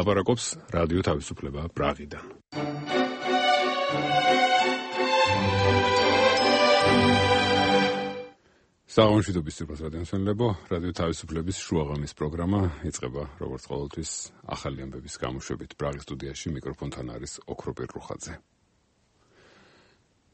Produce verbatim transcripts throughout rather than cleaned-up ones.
ლაპარაკობს რადიო თავისუფლება პრაღიდან. საღამოშვიდობის სიტყვას რადიომსმენელებო, რადიო თავისუფლების შუაღამის პროგრამა იწყება როგორც ყოველთვის ახალი ამბების გამოშვებით. პრაღის სტუდიაში მიკროფონთან არის ოქროპირ რუხაძე.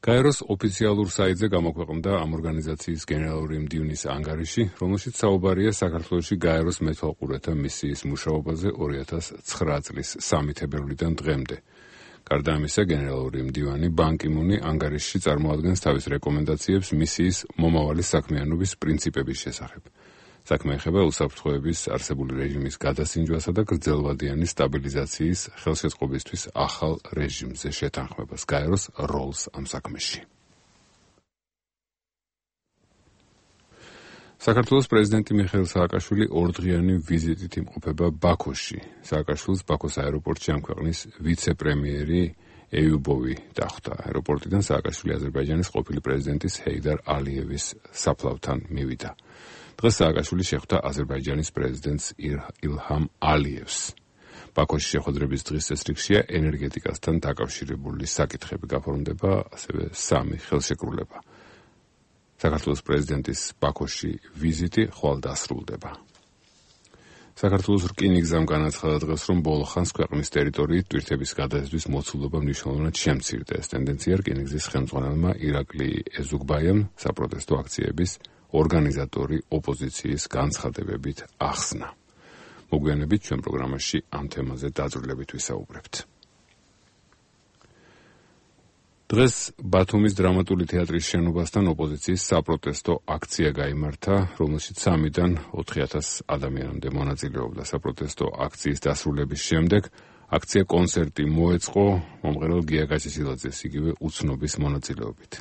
გაეროს ოფიციალურ საიტზე გამოქვეყნდა ამ ორგანიზაციის გენერალური მდივნის ანგარიში, რომელშიც საუბარია საქართველოში გაეროს მეთვალყურეთა მისიის მუშაობაზე ორი ათას ცხრა წლის სამი თებერვლიდან დღემდე. გარდა ამისა, გენერალური მდივანი ბან კი მუნი ანგარიშში წარმოადგენს თავის რეკომენდაციებს მისიის მომავალი საქმიანობის პრინციპების შესახებ. საქმე ეხება უსაფრთხოების არსებული რეჟიმის გადასინჯვასა და გრძელვადიანი სტაბილიზაციის ხელშეწყობისთვის ახალ რეჟიმზე შეთანხმებას, გაეროს როლს ამ საქმეში. საქართველოს პრეზიდენტი მიხეილ სააკაშვილი ორდღიანი ვიზიტით იმყოფება ბაქოში. სააკაშვილს ბაქოს აეროპორტში ამ ქვეყნის ვიცე-პრემიერი ეიუბოვი დახვდა. აეროპორტიდან სააკაშვილი აზერბაიჯანის ყოფილი პრეზიდენტის ჰეიდარ ალიევის საფლავთან მივიდა. დღეს სააკაშვილი შეხვდა აზერბაიჯანის პრეზიდენტს ილჰამ ალიევს. ბაქოში შეხვედრების დღის წესრიგშია ენერგეტიკასთან დაკავშირებული საკითხები, გაფორმდება ასევე სამი ხელშეკრულება. საქართველოს პრეზიდენტის ბაქოში ვიზიტი ხვალ დასრულდება. საქართველოს რკინიგზამ განაცხადა დღეს, რომ ბოლო ხანს ქვეყნის ტერიტორიით ტვირთების გადაზიდვის მოცულობა მნიშვნელოვნად შემცირდა. ეს ტენდენცია რკინიგზის ხელმძღვანელმა ირაკლი ეზუგბაიამ საპროტესტო აქციების ორგანიზატორი ოპოზიციის განცხადებებით ახსნა. მოგვიანებით ჩვენ პროგრამაში ამ თემაზე დაწვრილებით ვისაუბრებთ. დღეს ბათუმის დრამატული თეატრის შენობასთან ოპოზიციის საპროტესტო აქცია გაიმართა, რომელშიც სამიდან ოთხი ათას ადამიანამდე მონაწილეობდა. საპროტესტო აქციის დასრულების შემდეგ აქცია კონცერტი მოეწყო მომღერალ გია გაჩეჩილაძეს იგივე უცნობის მონაწილეობით.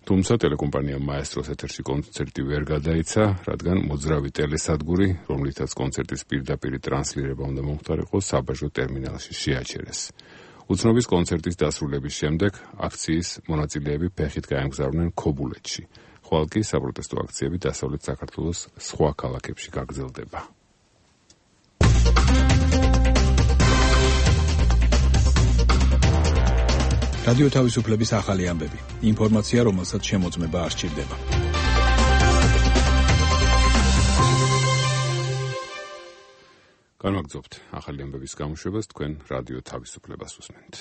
თუმცა ტელეკომპანია მაესტროს ეთერში კონცერტი ვერ გადაიცა, რადგან მოძრავი ტელესადგური, რომლითაც კონცერტის პირდაპირ ტრანსლირება უნდა მომხდარიყო, საბაჟო ტერმინალში შეაჩერეს. უცნობის კონცერტის დასრულების შემდეგ აქციის მონაწილეები ფეხით გაემგზავრნენ ქობულეთში. ხვალ კი საპროტესტო აქციები დასავლეთ საქართველოს სხვა ქალაქებში გაგრძელდება. რადიო თავისუფლების ახალი ამბები. ინფორმაცია, რომელსაც შემოწმება არ სჭირდება. განვაგრძობთ ახალი ამბების გამოშვებას, თქვენ რადიო თავისუფლებას უსმენთ.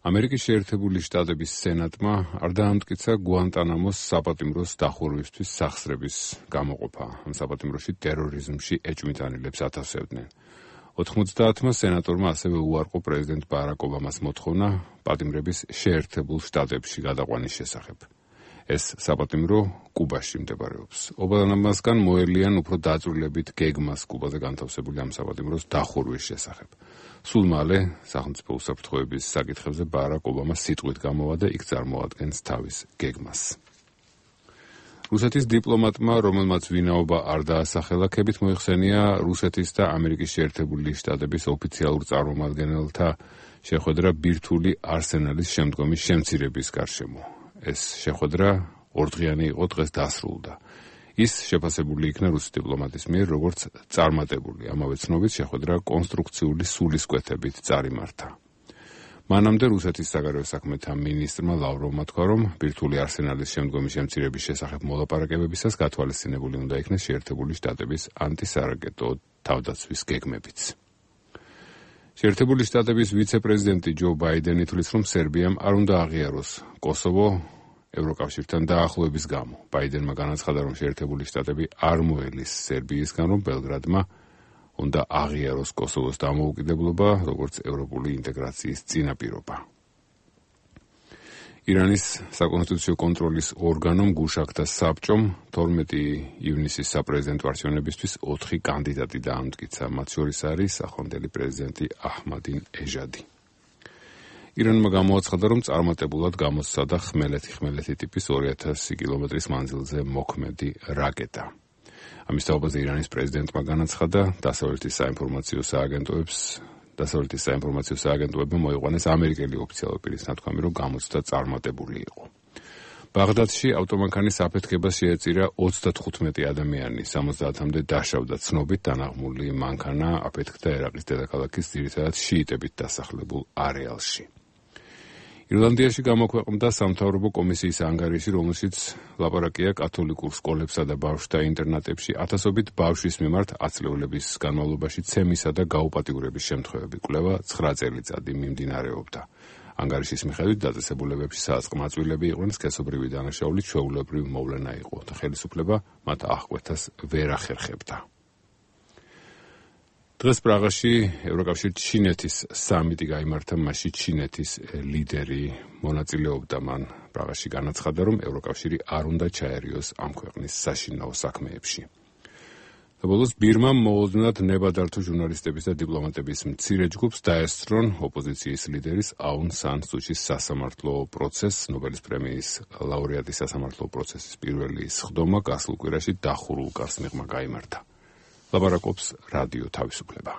ამერიკის შეერთებული შტატების სენატმა არ დაამტკიცა გუანტანამოს საპატიმროს დახურვისთვის სახსრების გამოყოფა. ამ საპატიმროში ტერორიზმში ეჭვმიტანილებს ათავსებდნენ. ოთხმოცდაათმა სენატორმა ასევე უარყო პრეზიდენტ ბარაკ ობამას მოთხოვნა პატიმრების შეერთებულ შტატებში გადაყვანის შესახებ. ეს საპატიმრო კუბაში მდებარეობს. ობამასგან მოელიან უფრო დაწვრილებით გეგმას კუბაზე განთავსებული ამ საპატიმროს დახურვის შესახებ. სულ მალე სახელმწიფო უსაფრთხოების საკითხებზე ბარაკ ობამა სიტყვით გამოვა და იქ წარმოადგენს თავის გეგმას. რუსეთის დიპლომატმა, რომელმაც ვინაობა არ დაასახელა, მოიხსენია რუსეთის და ამერიკის შეერთებული შტატების ოფიციალურ წარმომადგენელთა შეხვედრა ბირთვული არსენალის შემდგომი შემცირების გარშემო. ეს შეხვედრა ორდღიანი იყო, დღეს დასრულდა. ის შეფასებული იქნა რუსი დიპლომატის მიერ როგორც წარმატებული. ამავე ცნობით შეხვედრა კონსტრუქციული სულისკვეთებით წარიმართა. მანამდე რუსეთის საგარეო საქმეთა მინისტრმა ლავროვმა თქვა, რომ ბირთვული არსენალის შემდგომი შემცირების შესახებ მოლაპარაკებებისას გათვალისწინებული უნდა იქნეს შეერთებული შტატების ანტისარაკეტო თავდაცვის გეგმებიც. შეერთებული შტატების ვიცე-პრეზიდენტი ჯო ბაიდენი თვლის, რომ სერბიამ არ უნდა აღიაროს კოსოვო ევროკავშირთან დაახლოების გამო. ბაიდენმა განაცხადა, რომ შეერთებული შტატები არ მოელის სერბიისგან, რომ ბელგრადმა უნდა აღიაროს კოსოვოს დამოუკიდებლობა, როგორც ევროპული ინტეგრაციის წინაპირობა. ირანის საკონსტიტუციო კონტროლის ორგანომ გუშაქთა საბჭომ თორმეტი ივნისის საპრეზიდენტო არჩევნებისთვის ოთხი კანდიდატი დაამტკიცა. მათ შორის არის ახლანდელი პრეზიდენტი აჰმადინ ეჟადი. ირანმა გამოაცხადა, რომ წარმატებულად გამოსცადა ხმელეთი-ხმელეთი ტიპის ორი ათასი კილომეტრის მანძილზე მოქმედი რაკეტა. ამის თაობაზე ირანის პრეზიდენტმა განაცხადა, დასავლეთის საინფორმაციო სააგენტოებს დასავლეთის საინფორმაციო სააგენტოებმა მოიყვანეს ამერიკელი ოფიციალური პირის ნათქვამი, რომ გამოცდა წარმატებული იყო. ბაღდადში ავტომანქანის აფეთქებას შეეწირა ოცდათხუთმეტი ადამიანი, სამოცდაათამდე დაშავდა. ცნობით დანაღმული მანქანა აფეთქდა ერაყის დედაქალაქის ძირითადად შიიტებით დასახლებულ არეალში. ირლანდიაში გამოქვეყნდა სამთავრობო კომისიის ანგარიში, რომელშიც ლაპარაკია კათოლიკურ სკოლებსა და ბავშვთა ინტერნატებში ათასობით ბავშვის მიმართ ათწლეულების განმავლობაში ცემისა და გაუპატიურების შემთხვევები. კვლევა ცხრა წელიწადი მიმდინარეობდა. ანგარიშის მიხედვით დაწესებულებებში საწყმაწვილები იყვნენ სქესობრივი დანაშაული ჩვეულებრივ მოვლენა იყო და ხელისუფლება მათ აღკვეთას ვერ ახერხებდა. დღეს პრაღაში ევროკავშირ ჩინეთის სამიტი გაიმართა, მასში ჩინეთის ლიდერი მონაწილეობდა. მან პრაღაში განაცხადა, რომ ევროკავშირი არ უნდა ჩაერიოს ამ ქვეყნის საშინაო საქმეებში. და ბოლოს ბირმამ მოულოდნელად ნებადართო ჟურნალისტების და დიპლომატების მცირე ჯგუფს დაესწრონ ოპოზიციის ლიდერის აუნ სან სუჩის სასამართლო პროცესს. ნობელის პრემიის ლაურეატის სასამართლო პროცესის პირველი სხდომა გასულ კვირაში დახურულ კარს მიღმა გაიმართა. ლაპარაკობს რადიო თავისუფლება.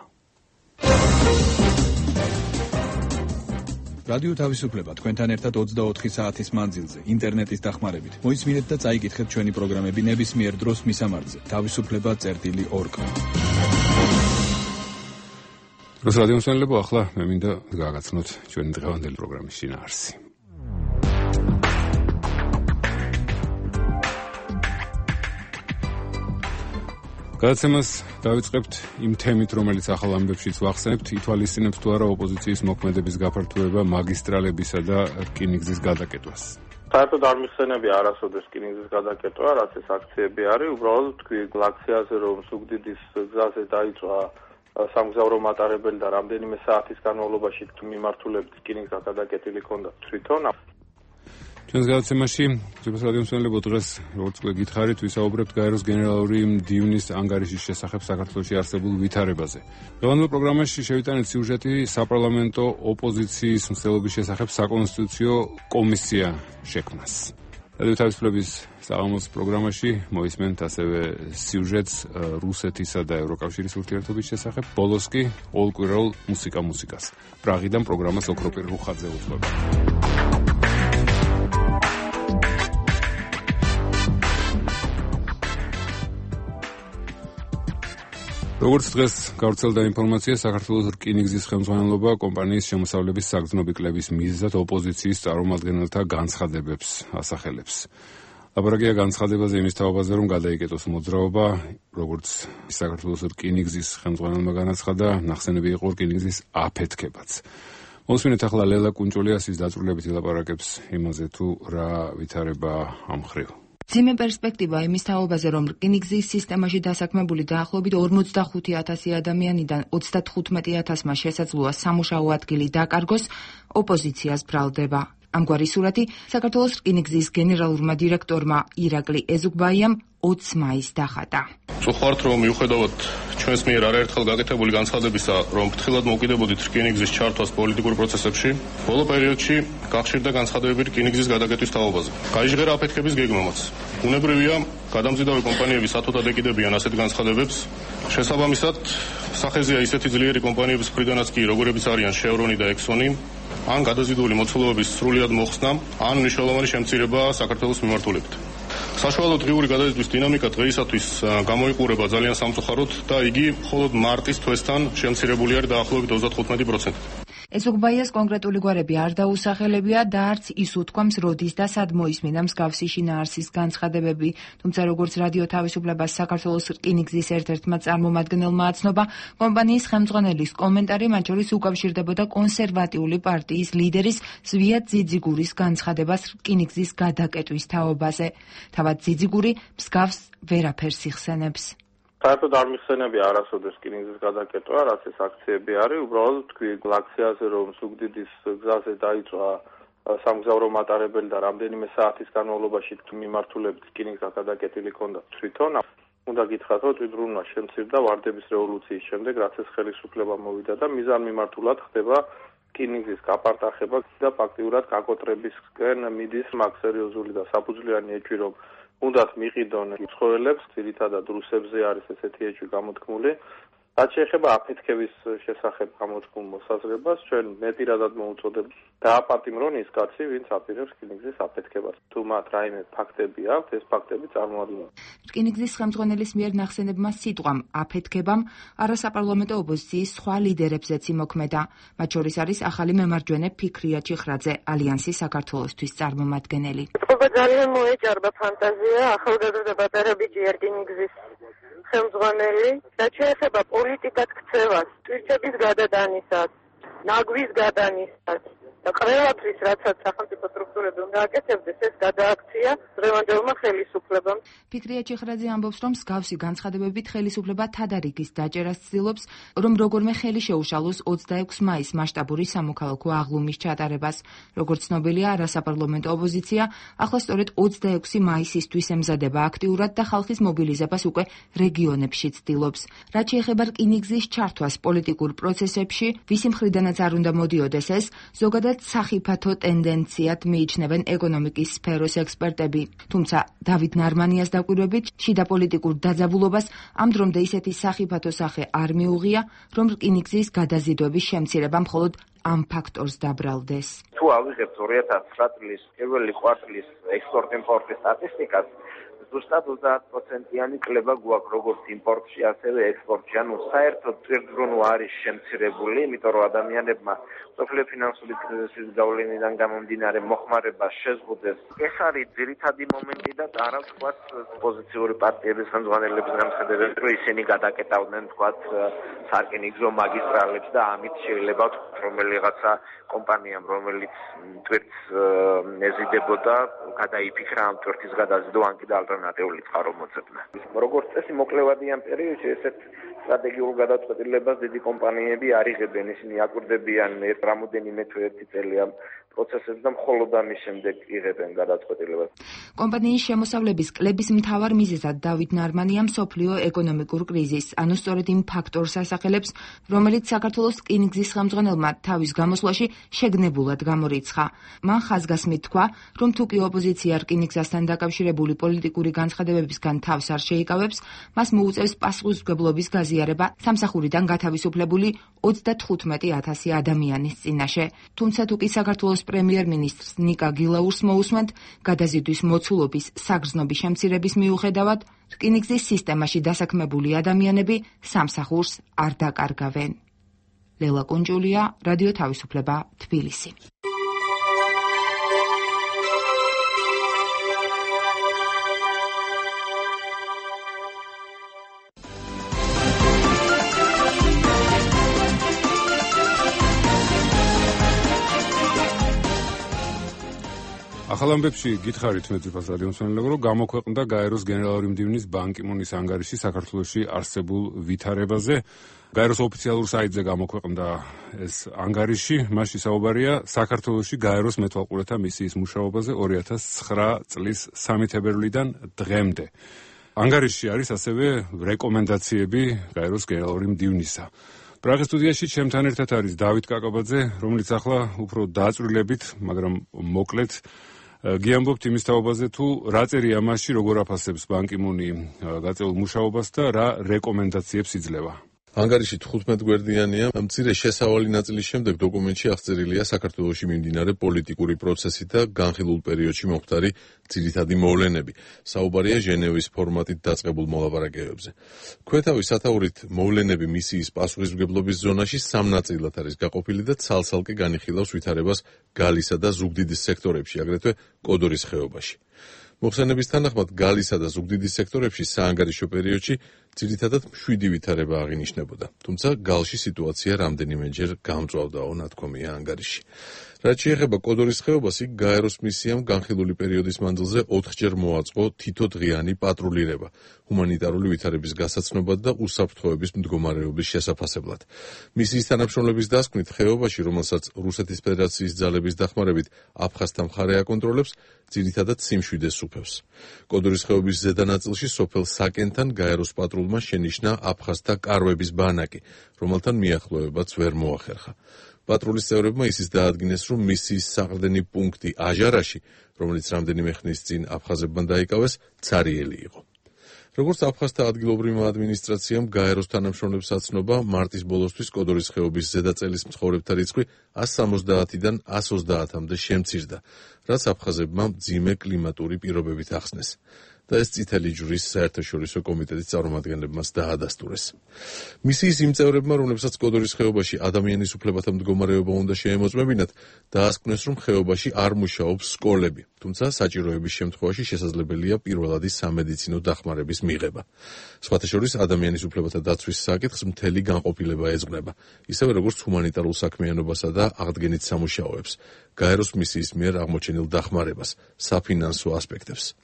რადიო თავისუფლება თქვენთან ერთად ოცდაოთხი საათის მანძილზე ინტერნეტის დახმარებით. მოისმინეთ და წაიკითხეთ ჩვენი პროგრამები ნებისმიერ დროს მისამართზე თავისუფლება წერტილი ორ კა. დროს რადიო მსმენელებო, ახლა მე მინდა გააგაცნოთ ჩვენი დღევანდელი პროგრამის შინაარსი. გადაცემას დავიწყებთ იმ თემით, რომელიც ახალ ამბებშიც ვახსენებთ, ითვალისწინებს თუ არა ოპოზიციის მოქმედების გაფართოება მაგისტრალებისა და რკინიგზის გადაკეტვას. საერთოდ არ მიხსენებია არასოდეს რკინიგზის გადაკეტვა, რაც ეს აქციები არის, უბრალოდ თქვი აქციაზე, რომ ზუგდიდის გზაზე დაიწვა სამგზავრო მატარებელი და რამდენიმე საათის განმავლობაში მიმართულებით რკინიგზა გადაკეტილი ჰქონდა თვითონ. ჩვენს გადაცემაში რადიო მსმენელებო, დღეს როგორც გითხარით, ვისაუბრებთ გაეროს გენერალური მდივნის ანგარიშის შესახებ საქართველოში არსებულ ვითარებაზე. დღევანდელ პროგრამაში შევიტანეთ სიუჟეტი საპარლამენტო ოპოზიციის მცდელობის შესახებ საკონსტიტუციო კომისია შექმნას. რადიო თავისუფლების საღამოს პროგრამაში მოისმენთ ასევე სიუჟეტს რუსეთისა და ევროკავშირის ურთიერთობის შესახებ. ბოლოს კი ყოველკვირეულ მუსიკა მუსიკას. პრაღიდან პროგრამას ოქროპირ რუხაძე უძღვება. როგორც დღეს გავრცელდა ინფორმაცია, საქართველოს რკინიგზის ხელმძღვანელობა კომპანიის შემოსავლების საგრძნობი კლების მიზეზად ოპოზიციის წარმომადგენელთა განცხადებებს ასახელებს. ლაპარაკია განცხადებაზე იმის თაობაზე, რომ გადაიკეტოს მოძრაობა, როგორც საქართველოს რკინიგზის ხელმძღვანელმა განაცხადა, ნახსენები იყო რკინიგზის აფეთქებაც. მოსმინეთ ახლა ლელა კუნჭულიასის დაწვრილებითი ლაპარაკებს იმაზე, თუ რა ვითარება ამ მხრივ. ძიმე პერსპექტივა იმის თაობაზე, რომ რკინიგზის სისტემაში დასაქმებული დაახლოებით ორმოცდახუთი ათასი ადამიანიდან ოცდათხუთმეტი ათასმა შესაძლოა სამუშაო ადგილი დაკარგოს, ოპოზიციას ბრალდება. ამგვარი სურათი საქართველოს რკინიგზის გენერალურმა დირექტორმა ირაკლი ეზუგბაიამ ოცი მაისს დახატა. წუხართ, რომ მიუხედავად ჩვენს მიერ არაერთხელ გაკეთებული განცხადებისა, რომ ფრთხილად მოვკიდებოდით რკინიგზის ჩართვას პოლიტიკურ პროცესებში, ბოლო პერიოდში გახშირდა განცხადებები რკინიგზის გადაკეტვის თაობაზე. გაიჟღერა აფეთქების გეგმამაც. უნებრივია, გადამზიდავი კომპანიები სათოდად ეკიდებიან ასეთ განცხადებებს. შესაბამისად, სახეზეა ისეთი ძლიერი კომპანიების მხრიდანაც კი, როგორებიც არიან შევრონი და ექსონი, ან გადაზიდული მოცულობების სრულიად მოხსნა, ან მნიშვნელოვანი შემცირება საქართველოს მიმართულებით. საშუალო დღიური გადაზიდვის დინამიკა დღეისათვის გამოიყურება ძალიან სამწუხაროდ და იგი მხოლოდ მარტის თვესთან შემცირებული არის დაახლოებით ოცდათხუთმეტი პროცენტი. ეზუგბაიას კონკრეტული გვარები არ დაუსახელებია და არც ის უთქვამს, როდის და სად მოისმინა მსგავსი შინაარსის განცხადებები, თუმცა როგორც რადიო თავისუფლებას საქართველოს რკინიგზის ერთ-ერთმა წარმომადგენელმა აცნობა, კომპანიის ხელმძღვანელის კომენტარი მათ შორის უკავშირდებოდა კონსერვატიული პარტიის ლიდერის ზვიად ძიძიგურის განცხადებას რკინიგზის გადაკეტვის თაობაზე. თავად ძიძიგური მსგავს ვერაფერს იხსენებს. საერთოდ არ მიხსენებია არასოდეს რკინიგზის გადაკეტვა, რაც ეს აქციები არის, უბრალოდ თქვი აქციაზე, რომ ზუგდიდის გზაზე დაიწვა სამგზავრო მატარებელი და რამდენიმე საათის განმავლობაში მიმართულებით რკინიგზა გადაკეტილი ჰქონდა თვითონ. უნდა გითხრათ, რომ თვითმფრინავმა შემცირდა ვარდების რევოლუციის შემდეგ, რაც ეს ხელისუფლება მოვიდა და მიზანმიმართულად ხდება რკინიგზის გაპარტახება და ფაქტიურად გაკოტრებისკენ მიდის მაგ სერიოზული და საფუძვლიანი ეჭვი, რომ უნდათ მიყიდონ ცხოველებს, ძირითადად რუსებზე არის ესეთი ეჭვი გამოთქმული. რაც შეეხება აფეთქების შესახებ გამოჩქულ მოსაზრებას, ჩვენ მეტირადად მოუწოდებთ დააპატიმრონ ის კაცი, ვინც აპირებს რკინიგზის აფეთქებას. თუ მათ რაიმე ფაქტები აქვთ, ეს ფაქტები წარმოადგინონ. რკინიგზის ხელმძღვანელის მიერ ნახსენებმა სიტყვამ აფეთქებამ არასაპარლამენტო ოპოზიციის სხვა ლიდერებზეც იმოქმედა. მათ შორის არის ახალი მემარჯვენე ფიქრია ჩიხრაძე, ალიანსი საქართველოსთვის წარმომადგენელი. ეთყობა ძალიან მოეჭარბა ფანტაზია, ახალგაზრდა პატარა ბიჭი რკინიგზის ხელმძღვანელი, რაც შეეხება პოლიტიკად ქცევას, ტვირთების გადატანისას, ნაგვის გადანისას და ყველაფრის, რაცაც სახელმწიფო სტრუქტურები უნდა აკეთებდეს, ეს გადააქცია დღევანდელმა ხელისუფლებამ. ფიქრია ჩიხრაძე ამბობს, რომ მსგავსი განცხადებებით ხელისუფლება თადარიგის დაჭერას ცდილობს, რომ როგორმე ხელი შეუშალოს ოცდაექვსი მაისს მასშტაბური სამოქალაქო აღლუმის ჩატარებას. როგორც ცნობილია, არასაპარლამენტო ოპოზიცია ახლა სწორედ ოცდაექვსი მაისისთვის ემზადება აქტიურად და ხალხის მობილიზებას უკვე რეგიონებში ცდილობს. რაც შეეხება რკინიგზის ჩართვას პოლიტიკურ პროცესებში, ვისი მხრიდანაც არ უნდა მოდიოდეს ეს, ზოგადად სახიფათო ტენდენციად მიიჩნევენ ეკონომიკის სფეროს ექსპერტები. თუმცა დავით ნარმანიას დაკვირვებით, შიდა პოლიტიკურ დაძაბულობას ამ დრომდე ისეთი სახიფათო სახე არ მიუღია, რომ რკინიგზის გადაზიდვების შემცირება მხოლოდ ამ ფაქტორს დაბრალდეს. თუ ავიღებთ ორი ათას ცხრა წლის პირველი კვარტლის ექსპორტ-იმპორტის სტატისტიკას, ზუსტად ოცდაათ პროცენტიანი კლება გვაქვს როგორც იმპორტში, ასევე ექსპორტში. ანუ საერთოდ წირდრუნვა არის შემცირებული, იმიტომ რომ ადამიანებმა სოფლიო ფინანსური კრიზისის გავლენიდან გამომდინარე მოხმარება შეზღუდეს. ეს არის ძირითადი მომენტი და არა ვთქვათ ოპოზიციური პარტიების ხელმძღვანელების განცხადებები, რომ ისინი გადაკეტავდნენ ვთქვათ სარკინიგზო მაგისტრალებს და ამით შეიძლება ვთქვათ რომელიღაცა კომპანიამ, რომელიც ტვირთს ეზიდებოდა, გადაიფიქრა ამ ტვირთის გადაზიდვა, ან კიდე ალტერნატიული წყარო მოძებნა. როგორც წესი მოკლევადი ამ პერიოდში ესეთ სტრატეგიულ გადაწყვეტილებას დიდი კომპანიები არ იღებენ, ისინი აკვირდებიან ერთ რამოდენიმე თუ ერთი წელი ამ პროცესებს და მხოლოდ ამის შემდეგ იღებენ გადაწყვეტილებას. კომპანიის შემოსავლების კლების მთავარ მიზეზად დავით ნარმანია მსოფლიო ეკონომიკურ კრიზისს, ანუ სწორედ იმ ფაქტორს ასახელებს, რომელიც საქართველოს რკინიგზის ხელმძღვანელმა თავის გამოსვლაში შეგნებულად გამორიცხა. მან ხაზგასმით თქვა, რომ თუ კი ოპოზიცია რკინიგზასთან დაკავშირებული პოლიტიკური განცხადებებისგან თავს არ შეიკავებს, მას მოუწევს პასუხისმგებლობის გაზიარება სამსახურიდან გათავისუფლებული ოცდათხუთმეტი ათასი ადამიანის წინაშე. თუმცა თუ კი საქართველოს პრემიერ-მინისტრს ნიკა გილაურს მოусმენთ, გადაზიდვის მოცულობის საგრძნობი შემცირების მიუხედავად, რკინიგზის სისტემაში დასაქმებული ადამიანები სამსახურს არ დაკარგავენ. ლელა კუნჯულია, რადიო თავისუფლება, თბილისი. ახალ ამბებში გითხარით მეძიფას რადიო მსმენელებო, რომ გამოქვეყნდა გაეროს გენერალური მდივნის ბან კი მუნის ანგარიში საქართველოში არსებულ ვითარებაზე. გაეროს ოფიციალურ საიტზე გამოქვეყნდა ეს ანგარიში, მასში საუბარია საქართველოში გაეროს მეთვალყურეთა მისიის მუშაობაზე ორი ათას ცხრა წლის სამი თებერვლიდან დღემდე. ანგარიშში არის ასევე რეკომენდაციები გაეროს გენერალური მდივნისა. პრაღის სტუდიაში ჩემთან ერთად არის დავით კაკაბაძე, რომელიც ახლა უფრო დააწვრილებით, მაგრამ მოკლედ გიამბობთ იმის თაობაზე, თუ რა წერია მასში, როგორ აფასებს ბან კი მუნი გაწეულ მუშაობას და რა რეკომენდაციებს იძლევა. ანგარიში თხუთმეტ გვერდიანია. მცირე შესავალი ნაწილის შემდეგ დოკუმენტში აღწერილია საქართველოში მიმდინარე პოლიტიკური პროცესი და განხილულ პერიოდში მომხდარი ძირითადი მოვლენები. საუბარია ჟენევის ფორმატით დაწყებულ მოლაპარაკებებზე. ქვეთავის სათაურით მოვლენები მისიის პასუხისმგებლობის ზონაში სამ ნაწილად არის გაყოფილი და ცალ-ცალკე განიხილავს ვითარებას გალისა და ზუგდიდის სექტორებში, აგრეთვე კოდორის ხეობაში. მოხსენების თანახმად გალისა და ზუგდიდის სექტორებში საანგარიშო პერიოდში ძირითადად მშვიდი ვითარება აღინიშნებოდა. თუმცა გალში სიტუაცია რამდენიმეჯერ გამწვავდაო, ნათქვამია ანგარიში. რაც შეეხება კოდორის ხეობას, იქ გაეროს მისიამ განხილული პერიოდის მანძილზე ოთხჯერ მოაწყო თითო დღიანი პატრულირება ჰუმანიტარული ვითარების გასაცნობად და უსაფრთხოების მდგომარეობის შესაფასებლად. მისიის თანამშრომლების დასკვნით, ხეობაში, რომელსაც რუსეთის ფედერაციის ძალების დახმარებით აფხაზთა მხარე აკონტროლებს, ძირითადად სიმშვიდე სუფევს. კოდორის ხეობის ზედა ნაწილში სოფელ საკენთან გაეროს პატრულმა შენიშნა აფხაზთა კარვების ბანაკი, რომელთან მიახლოებაც ვერ მოახერხა. პატრულის წევრებმა ისიც დაადგინეს, რომ მისიის საყრდენი პუნქტი აჟარაში, რომელიც რამდენიმე ხნის წინ აფხაზებმა დაიკავეს, ცარიელი იყო. როგორც აფხაზთა ადგილობრივმა ადმინისტრაციამ გაეროს თანამშრომლებს აცნობა, მარტის ბოლოსთვის კოდორის ხეობის ზედაწელის მცხოვრებთა რიცხვი ას სამოცდაათიდან ას ოცდაათამდე შემცირდა, რაც აფხაზებმა მძიმე კლიმატური პირობებით ახსნეს. და ეს წითელი ჯვრის საერთაშორისო კომიტეტის წარმომადგენლებმაც დაადასტურეს. მისიის იმ წევრებმა, რომლებსაც კოდორის ხეობაში ადამიანის უფლებათა მდგომარეობა უნდა შეემოწმებინათ, დაასკვნეს, რომ ხეობაში არ მუშაობს სკოლები, თუმცა საჭიროების შემთხვევაში შესაძლებელია პირველადი სამედიცინო დახმარების მიღება. სხვათა შორის ადამიანის უფლებათა დაცვის საკითხს მთელი განყოფილება ეძღვნება, ისევე როგორც ჰუმანიტარულ საქმიანობასა და აღდგენით სამუშაოებს, გაეროს მისიის მიერ აღმოჩენილ დახმარებას, საფინანსო ასპექტებს.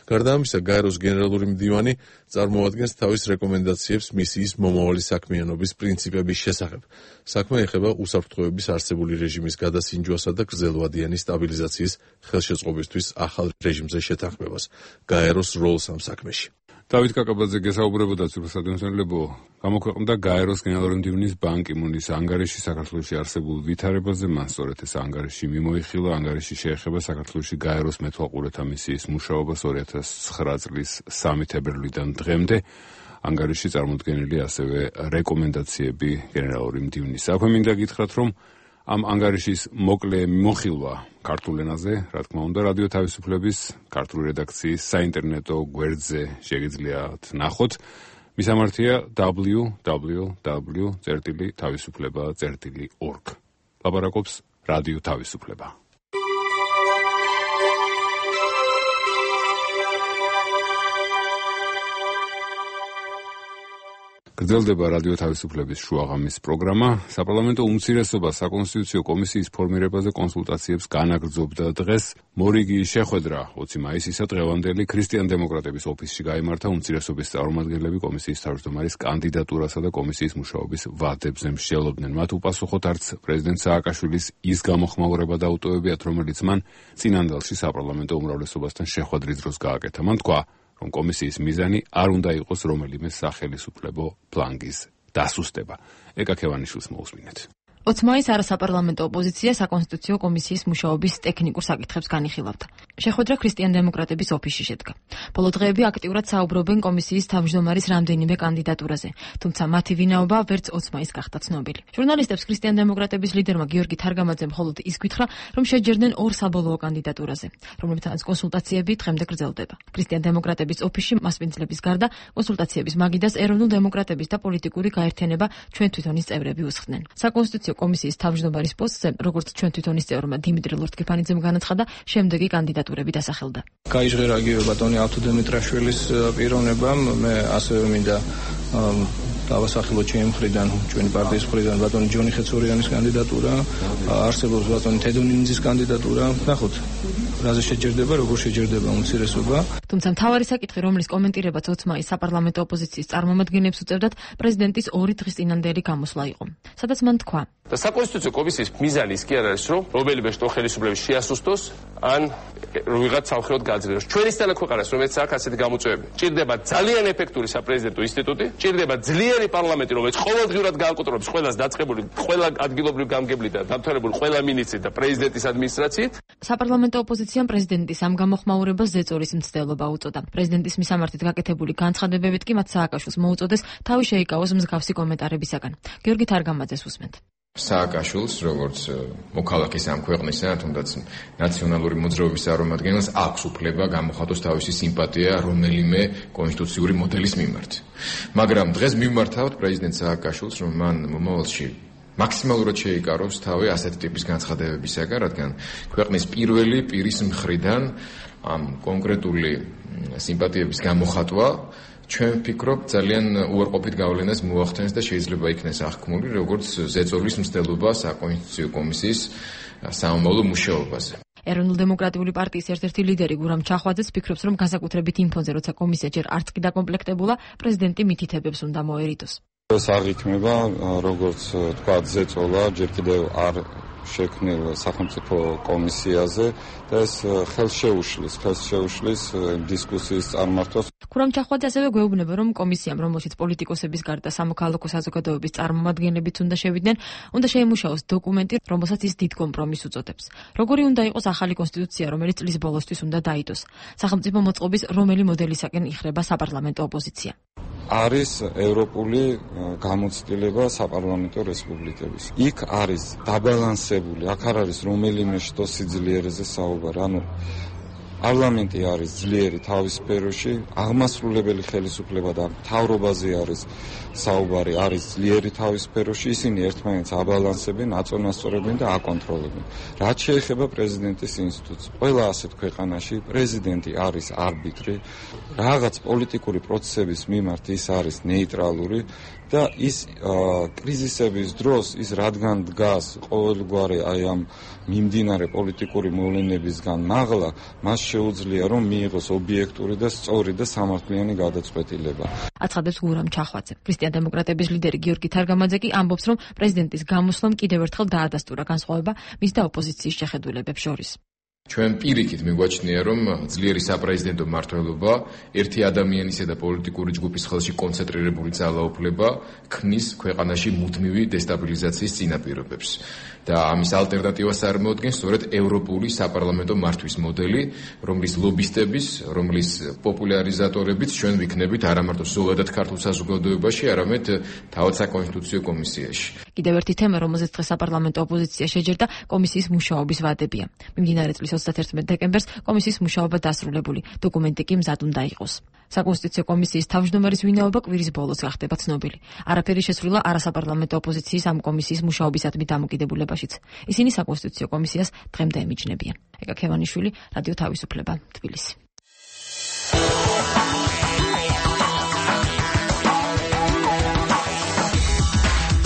გარდა ამისა, გაეროს გენერალური მდივანი წარმოადგენს თავის რეკომენდაციებს მისიის მომავალი საქმიანობის პრინციპების შესახებ. საქმე ეხება უსაფრთხოების არსებული რეჟიმის გადასინჯვასა და გრძელვადიანი სტაბილიზაციის ხელშეწყობისთვის ახალ რეჟიმზე შეთანხმებას, გაეროს როლს ამ საქმეში. დავით კაკაბაძე გესაუბრებოდა ცურსადმცემლებო, გამოქვეყნდა გაეროს გენერალური მდივნის ბან კი მუნის ანგარიში საქართველოში არსებულ ვითარებაზე, მან სწორედ ეს ანგარიში მიმოიხილა, ანგარიში შეეხება საქართველოში გაეროს მეთვალყურეთა მისიის მუშაობას ორი ათას ცხრა წლის სამი თებერვლიდან დღემდე. ანგარიში წარმოდგენილი ასევე რეკომენდაციები გენერალური მდივნის. აქვე მინდა გითხრათ, რომ ამ ანგარიშის მოკლე მიმოხილვა ქართულ ენაზე, რა თქმა უნდა, რადიო თავისუფლების ქართული რედაქციის საინტერნეტო გვერდზე შეგიძლიათ ნახოთ. მისამართია დაბლიუ დაბლიუ დაბლიუ წერტილი თავისუფლება წერტილი ორგ. ლაპარაკობს რადიო თავისუფლება. გრძელდება რადიო თავისუფლების შუაღამის პროგრამა. საპარლამენტო უმცირესობა საკონსტიტუციო კომისიის ფორმირებაზე კონსულტაციებს განაგრძობდა დღეს. მორიგიის შეხვედრა ოცი მაისისა დღევანდელი ქრისტიან-დემოკრატების ოფისში გაიმართა. უმცირესობის წარმომადგენლები კომისიის თავმჯდომარის კანდიდატურასა და კომისიის მუშაობის ვადებზე მსჯელობდნენ. მათ უპასუხოთ არც პრეზიდენტ სააკაშვილის ის გამოხმაურება დაუტოვებიათ, რომელიც მან წინანდალში საპარლამენტო უმრავლესობასთან შეხვედრის დროს გააკეთა. მან თქვა, რომ კომისიის მიზანი არ უნდა იყოს რომელიმე სახელისუფლებო ფლანგის დასუსტება. ეკა ქევანიშვილს მოусმინეთ. ოცი მაისს არასაპარლამენტო ოპოზიცია საკონსტიტუციო კომისიის მუშაობის ტექნიკურ საკითხებს განიხილავდა. შეხვედრა ქრისტიან-დემოკრატების ოფისში შედგა. ბოლო დღეები აქტიურად საუბრობენ კომისიის თავმჯდომარის რამდენიმე კანდიდატურაზე, თუმცა მათი ვინაობა ვერც ოცი მაისს გახდა ცნობილი. ჟურნალისტებს ქრისტიან-დემოკრატების ლიდერმა გიორგი თარგამაძემ მხოლოდ ის გითხრა, რომ შეჯერდნენ ორ საბოლოო კანდიდატურაზე, რომლებთანაც კონსულტაციები დღემდე გრძელდება. ქრისტიან-დემოკრატების ოფისში მასპინძლების გარდა კონსულტაციების მაგიდას ეროვნულ დემოკრატების და პოლიტიკური გაერთიანება ჩვენ თვითონის წევრები უსხდნენ. საკონსტიტუციო კომისიის თავმჯდომარის პოსტზე, როგორც ჩვენ თვითონის წევრმა დიმიტრი ლორთქიფანიძემ განაცხადა, შემდეგი კანდიდატურები დასახელდა. გაიჟღერა გიორგი ავთო დემიტრაშვილის პიროვნებამ, მე ასევე მინდა დავასახელოთ ჩემი მხრიდან, ჩვენი პარტიის მხრიდან ბატონი ჯონი ხეცორიანის კანდიდატურა, არსებობს ბატონი თედონინძის კანდიდატურა. ნახოთ, რაზე შეჯერდება, როგორ შეჯერდება უმცირესობა. თუმცა მთავარი საკითხი, რომლის კომენტირებაც ოცი მაისს საპარლამენტო ოპოზიციის წარმომადგენლებს უწევდათ, პრეზიდენტის ორი დღის წინანდელი გამოსვლა იყო. სადაც მან თქვა: და საკონსტიტუციო კომისიის მიზანი ის კი არ არის, რომ რომელიმე შტო ხელისუფლების შეასუსტოს ან ვიღაც სამხედროდ გააძლიეროს. ჩვენისთანა ქვეყანას, რომელიც აქ ასეთი გამოწვევები, ჭირდება ძალიან ეფექტური საპრეზიდენტო ინსტიტუტი, ჭირდება ძლიერი პარლამენტი, რომელიც ყოველდღიურად გააკონტროლებს ყველას დაწყებული, ყველა ადგილობრივ გამგებლით და დამთავრებული ყველა მინისტრით და პრეზიდენტის ადმინისტრაციით. საპარლამენტო ოპოზიციამ პრეზიდენტის ამ გამოხმაურებას ზეწოლის მცდელობა უწოდა. პრეზიდენტის მისამართით გაკეთებული განცხადებებით კი მათ სააკაშვილს მოუწოდეს თავი შეიკავოს მსგავსი კომენტარებისაგან. გიორგი თარგამაძეს უსმენთ. სააკაშვილს, როგორც მოქალაქის ამ ქვეყნისა, თუნდაც ნაციონალური მოძრაობის წარმომადგენელს აქვს უფლება გამოხატოს თავისი სიმპათია რომელიმე კონსტიტუციური მოდელის მიმართ. მაგრამ დღეს მიმართავთ პრეზიდენტ სააკაშვილს, რომ მან მომავალში მაქსიმალურად შეიკაროს თავი ასეთი ტიპის განცხადებებისაგან, რადგან ქვეყნის პირველი პირის მხრიდან ამ კონკრეტული სიმპათიების გამოხატვა ჩვენ ვფიქრობ ძალიან უარყოფით გავლენას მოახდენს და შეიძლება იქნეს აღქმული როგორც ზეწოლის მცდელობა საკონსტიტუციო კომისიის სამომავლო მუშაობაზე. ეროვნულ დემოკრატიული პარტიის ერთ-ერთი ლიდერი გურამ ჩახვაძეც ფიქრობს, რომ განსაკუთრებით იმ ფონზე, როცა კომისია ჯერ არც კი დაკომპლექტებულა, პრეზიდენტი მითითებებს უნდა მოერიდოს. ეს არ იქნება, როგორც თქვა, ზეწოლა, ჯერ კიდევ არ შექმნილ სახელმწიფო კომისიაზე და ეს ხელს შეუშლის, ხელს შეუშლის დისკუსიის წარმართვას. ქურამ ჩახვაძე ასევე გვეუბნება, რომ კომისიამ, რომელშიც პოლიტიკოსების გარდა სამოქალაქო საზოგადოების წარმომადგენლებიც უნდა შევიდნენ, უნდა შეემუშაოს დოკუმენტი, რომელსაც ის დიდ კომპრომისს უწოდებს. როგორი უნდა იყოს ახალი კონსტიტუცია, რომელიც წლის ბოლოსთვის უნდა დაიდოს? სახელმწიფო მოწყობის რომელი მოდელისაკენ იხრება საპარლამენტო ოპოზიცია? არის ევროპული გამოცდილება საპარლამენტო რესპუბლიკების. იქ არის დაბალანსებული, აქ არ არის რომელიმე შტო სიძლიერეზე საუბარი, ანუ პარლამენტი არის ძლიერი თავის სფეროში, აღმასრულებელი ხელისუფლება და მთავრობაზე არის საუბარი, არის ძლიერი თავის სფეროში, ისინი ერთმანეთს აბალანსებენ, აწონასწორებენ და აკონტროლებენ. რაც შეეხება პრეზიდენტის ინსტიტუტს, ყველა ასეთ ქვეყანაში პრეზიდენტი არის არბიტრი, რაღაც პოლიტიკური პროცესების მიმართ ის არის ნეიტრალური და ის კრიზისების დროს ის რადგან დგას ყოველგვარი აი ამ მიმდინარე პოლიტიკური მოვლენებისგან მაღლა, მას შეუძლია რომ მიიღოს ობიექტური და სწორი და სამართლიანი გადაწყვეტილება. აცხადებს გურამ ჩახვაძე. ქრისტიან-დემოკრატების ლიდერი გიორგი თარგამაძე კი ამბობს, რომ პრეზიდენტის გამოსვლამ კიდევ ერთხელ დაადასტურა განსხვავება მის და ოპოზიციის შეხედულებებს შორის. ჩვენ პირიქით მიგვაჩნია, რომ ძლიერი საპრეზიდენტო მმართველობა, ერთი ადამიანისა და პოლიტიკური ჯგუფის ხელში კონცენტრირებული ძალაუფლება ქმნის ქვეყანაში მუდმივი დესტაბილიზაციის წინაპირობებს. და ამის ალტერნატივას წარმოადგენს სწორედ ევროპული საპარლამენტო მართვის მოდელი, რომლის ლობისტების, რომლის პოპულარიზატორებიც ჩვენ ვიქნებით არა მარტო ზოგადად ქართულ საზოგადოებაში, არამედ თავად საკონსტიტუციო კომისიაში. კიდევ ერთი თემა, რომელზეც დღეს საპარლამენტო ოპოზიცია შეჯერდა, კომისიის მუშაობის ვადებია. მიმდინარე წლის ოცდათერთმეტ დეკემბერს კომისიის მუშაობა დასრულებული, დოკუმენტი კი მზად უნდა იყოს. საკონსტიტუციო კომისიის თავმჯდომარის ვინაობა კვირის ბოლოს გახდება ცნობილი. არაფერი შესრულა არასაპარლამენტო ოპოზიციის ამ კომისიის მუშაობისადმი დამოკიდებულებაშიც. ისინი საკონსტიტუციო კომისიას დღემდე ემიჯნებიან. ეკა ქევანიშვილი, რადიო თავისუფლება, თბილისი.